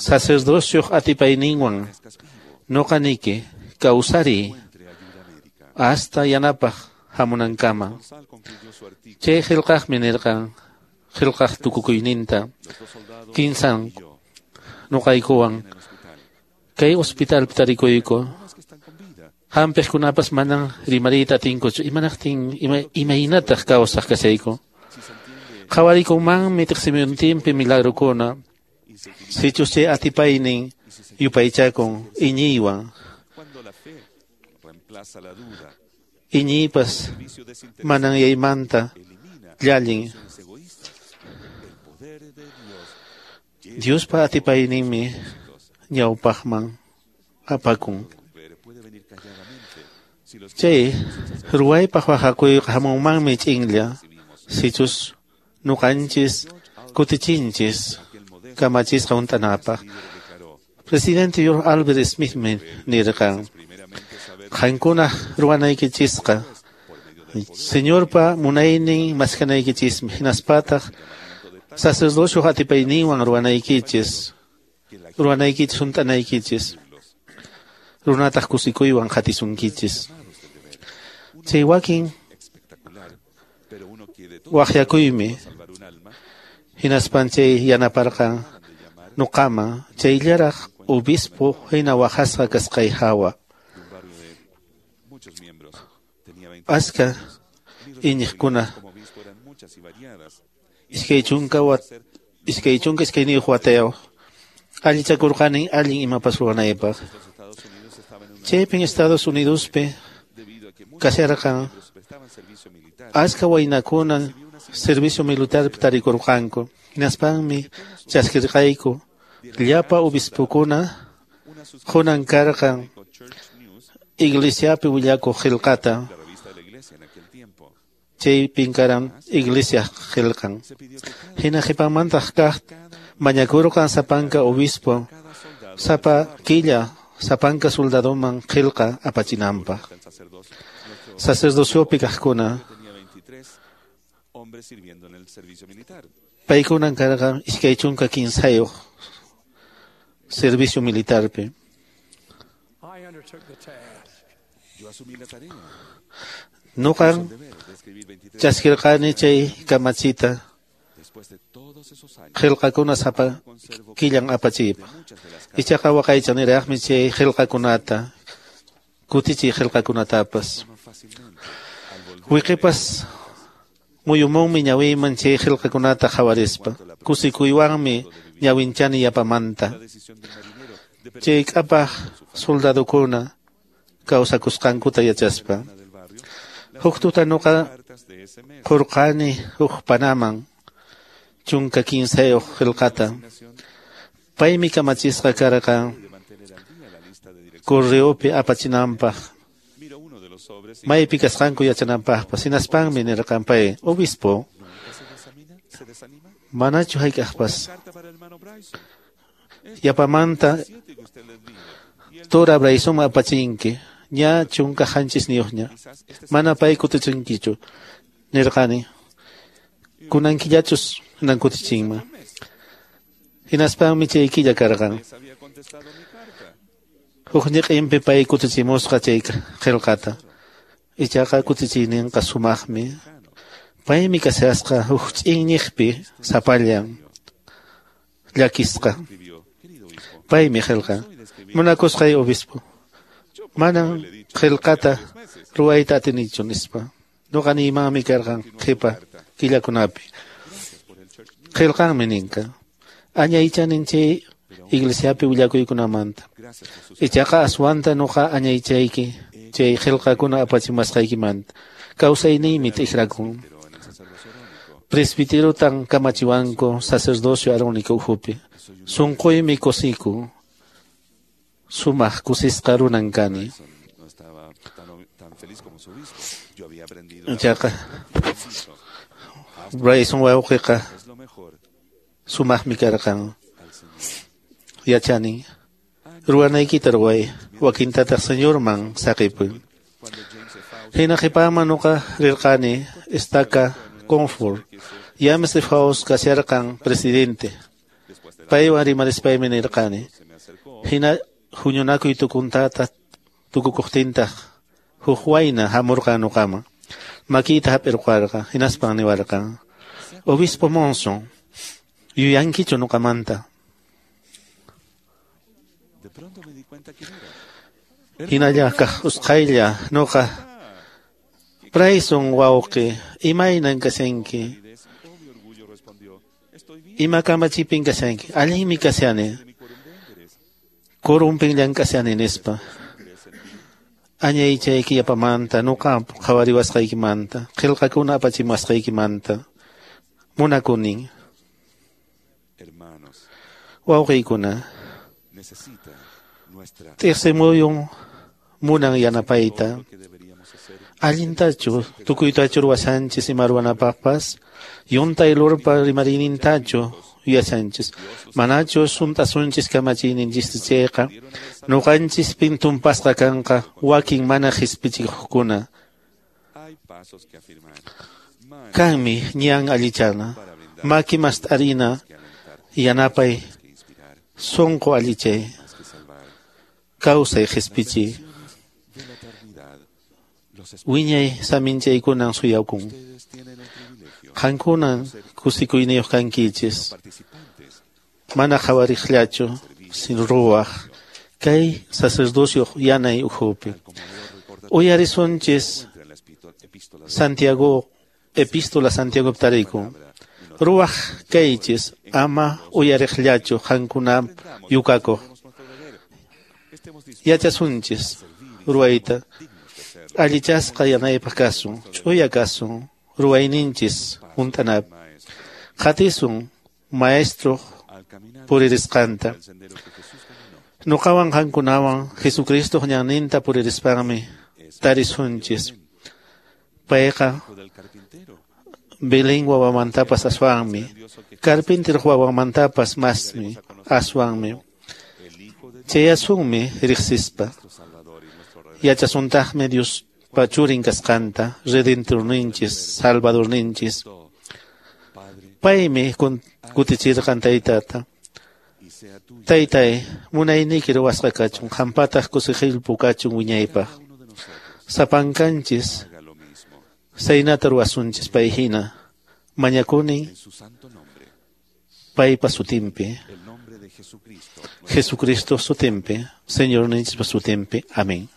sacerdocioq atipayninwan noqa niki kawsariy hasta yanapaq hamunankama. Chay qillqaqmi nirqan qillqaq tukukuyninta kinsan nuqaykuwan kay hospitalpi tarikuyku. Hampiqkunapas manan rimariyta atinkuchu. Imanaqtin ima, imaynataq kawsaq kashayku. Qhawariykunmanmi tiqsimuyuntinpi milagrokuna. Sichus chay atipaynin yupaychakun iñiywan. Iñiypas manan yaymanta llallin. Diospa atipayninmi ñawpaqman apakun. Chay ruwaypaq waqakuyqa hamunmanmi ch'inlla sichus nuqanchis kutichinchis kamachisqa hunt'anapaq. Presidente George Albert Smithmi nirqan: Qankunaq ruwanaykichisqa Señorpa munaynin maskanaykichismi, hinaspataq sacerdocioq atipayninwan ruwanaykichis, ruwanaykichis hunt'anaykichis, runataq kusikuywan qatisunkichis. Chay wakin waqyakuymi hinaspan chay yanaparqan nuqaman chayllaraq obispo hina waqasqa kasqay hawa. Aska iñiqkuna iskay chunka wat iskay chunka iskayniyuq watayuq allichakurqani allin imapas ruwanaypaq. Chaypin Estados Unidospi kasharqan aska waynakuna servicio militarpi tarikurqanku. Hinaspanmi chaskirqayku llapa obispokuna qunan karqan iglesiapi willakuq qillqata. Chaypin karan iglesia qillqan. Hina qhipanmantaq kaq mañakurqan sapanka obispo sapa killa sapanka soldadoman qillqa apachinanpaq. Sacerdociopi kaqkuna paykunan karqan iskay chunka kinsayuq servicio militarpi. Nuqan chaskirqani chay kamachita qillqakuna sapa killan apachiypaq. Ichaqa waqaychaniraqmi chay qillqakunata kutichiy qillqakunatapas. Wiqipas muyumunmi ñawiyman chay qillqakunata qhawarispa. Kusikuywanmi ñawinchani yapamanta. Chay k'apaq soldadokuna kawsakusqankuta yachaspa. Huk tuta nuqa qurqani huk panaman chunka kinsayuq qillqata. Paymi kamachisqa karqan correopi apachinanpaq, maypi kasqanku yachananpaqpas. Hinaspanmi nirqan pay, obispo, manachu hayk'aqpas yapamanta Tora Braysonman apachinki, ña chunka qanchisniyuqña, mana pay kutichinkichu, nirqani, kunankillachus hinan kutichinman. Hinaspanmi chay killa karqan. Huk ñiqinpi pay kutichimusqa chay qillqata. Ichaqa kutichiyninqa sumaqmi. Paymi kashasqa huk ch'inñiqpi sapallan llakisqa. Paymi qillqan. Munakusqay obispo, manan qillqata ruwayta atinichu nispa. Nuqa niymanmi karqan qhipa killakunapi. Qillqanmi ninka. Añaychanin chay iglesiapi willakuykunamanta. Ichaqa aswanta nuqa añaychayki chay qillqakuna apachimasqaykimanta. Kawsayniymi t'ikrakun. Presbiterotan kamachiwanku sacerdocio arónico ukhupi. Sunquymi kusikun. Sumaq kusisqa runan kani. Ichaqa Bryson wawqiqa sumaqmi karqan. Yachani, ruwanaykita ruway, wakintataq Señorman saqipuy. Hina qhipaman nuqa rirqani estaca Comfort. James F. Faust kasharqan presidente. Paywan rimarispaymi nirqani. Hina huñunakuy tukuntata tukukuqtintaq huk wayna hamurqan nuqaman. Makiyta hap'irqarqan, hinaspan niwarqan. Obispo Monson, yuyankichu nuqamanta? Hinalla kaq usqhaylla nuqa Bryson wawqi, imaynan kashanki? Ima kamachipin kashanki? Allinmi kashani. Qurumpin llank'ashani nispa. Añaychayki yapamanta, nuqa qhawariwasqaykimanta, qillqakuna apachimusqaykimanta. Munakunin. Wawqiykuna, t'iksimuyun munan yanapayta. Allintachu tukuytachu ruwashanchis ima ruwanapaqpas, yuntay lurpa rimariynintachu yuyashanchis, manachu sunt'asunchis kamachiyninchista chayqa, nuqanchis pintunpasqa kanqa wakin mana qispichikuqkuna. Kanmi ñan allichana, maki mast'arina, yanapay, sunqu allichay, kawsay qispichiy. Wiñay saminchaykunan suyakun. Qankunan kusikuyniyuq kankichis. Mana qhawariqllachu sin ruwaq kay sacerdocio yanay ukhupi. Uyarisunchis Santiago, epístola Santiago tarikun. Ruwaq kaychis ama uyariqllachu qankuna yukakuq. Yachasunchis ruwayta. Allichasqa yanaypaq kasun, ch'uya kasun, ruwayninchis hunt'anapaq. Qatisun maestro puririsqanta. Nuqawan qankunawan Jesucristo ñanninta puririspanmi tarisunchis. Payqa Belén wawamantapas aswanmi, carpintero wawamantapas masmi aswanmi. Chayasunmi riqsispa. Yachasuntaqmi Dios pachurin kasqanta, Redentorninchis, Salvadorninchis. Paymi kutichirqan taytata. Taytay, munayniyki ruwasqa kachun, qampataq kusiqillpu kachun wiñaypaq. Sapankanchis, saynata ruwasunchis pay hina. Mañakuni paypa sutinpi. Jesucristo sutinpi, Señorninchispa sutinpi. Amén.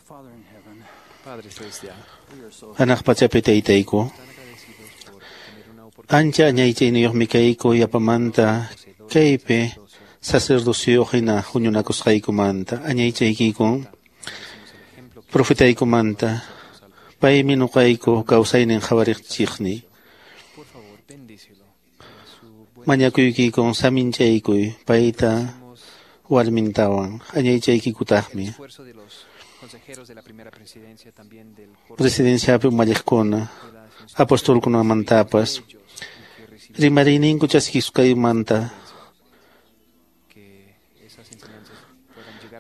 Padre Celestial, Hanaq pachapi taytayku, ancha añaychayniyuqmi kayku yapamanta kaypi sacerdociyuq hina huñunakusqaykumanta añaychaykikun profetaykumanta paymi nuqayku kawsaynin qhawariqchiqni mañakuykikun saminchaykuy payta warmintawan añaychaykikutaqmi presidenciapi umalliqkuna apostolkunamantapas rimariyninku chaskisqaymanta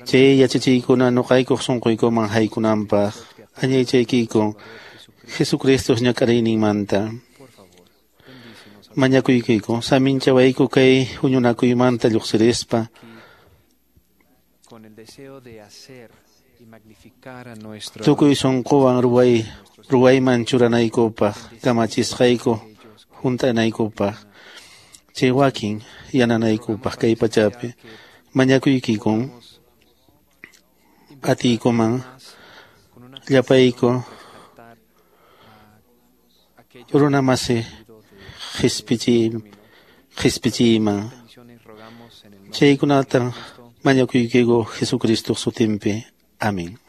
chay yachachiykuna nuqaykuq sunquykuman haykunanpaq añaychaykikun Jesucristo ñak'ariyninmanta mañakuykiku saminchawayku kay huñunakuymanta lluqsirispa con el deseo de hacer y magnificar a nuestro tukuy sunquwan ruway ruwayman churanaykupaq kamachisqayku hunt'anaykupaq chay wakin yananaykupaq kay pachapi mañakuykikun atiykuman llapayku runamasi qhispichiy qhispichiyman chaykunata mañakuykiku Jesucristo sutinpi. Amén.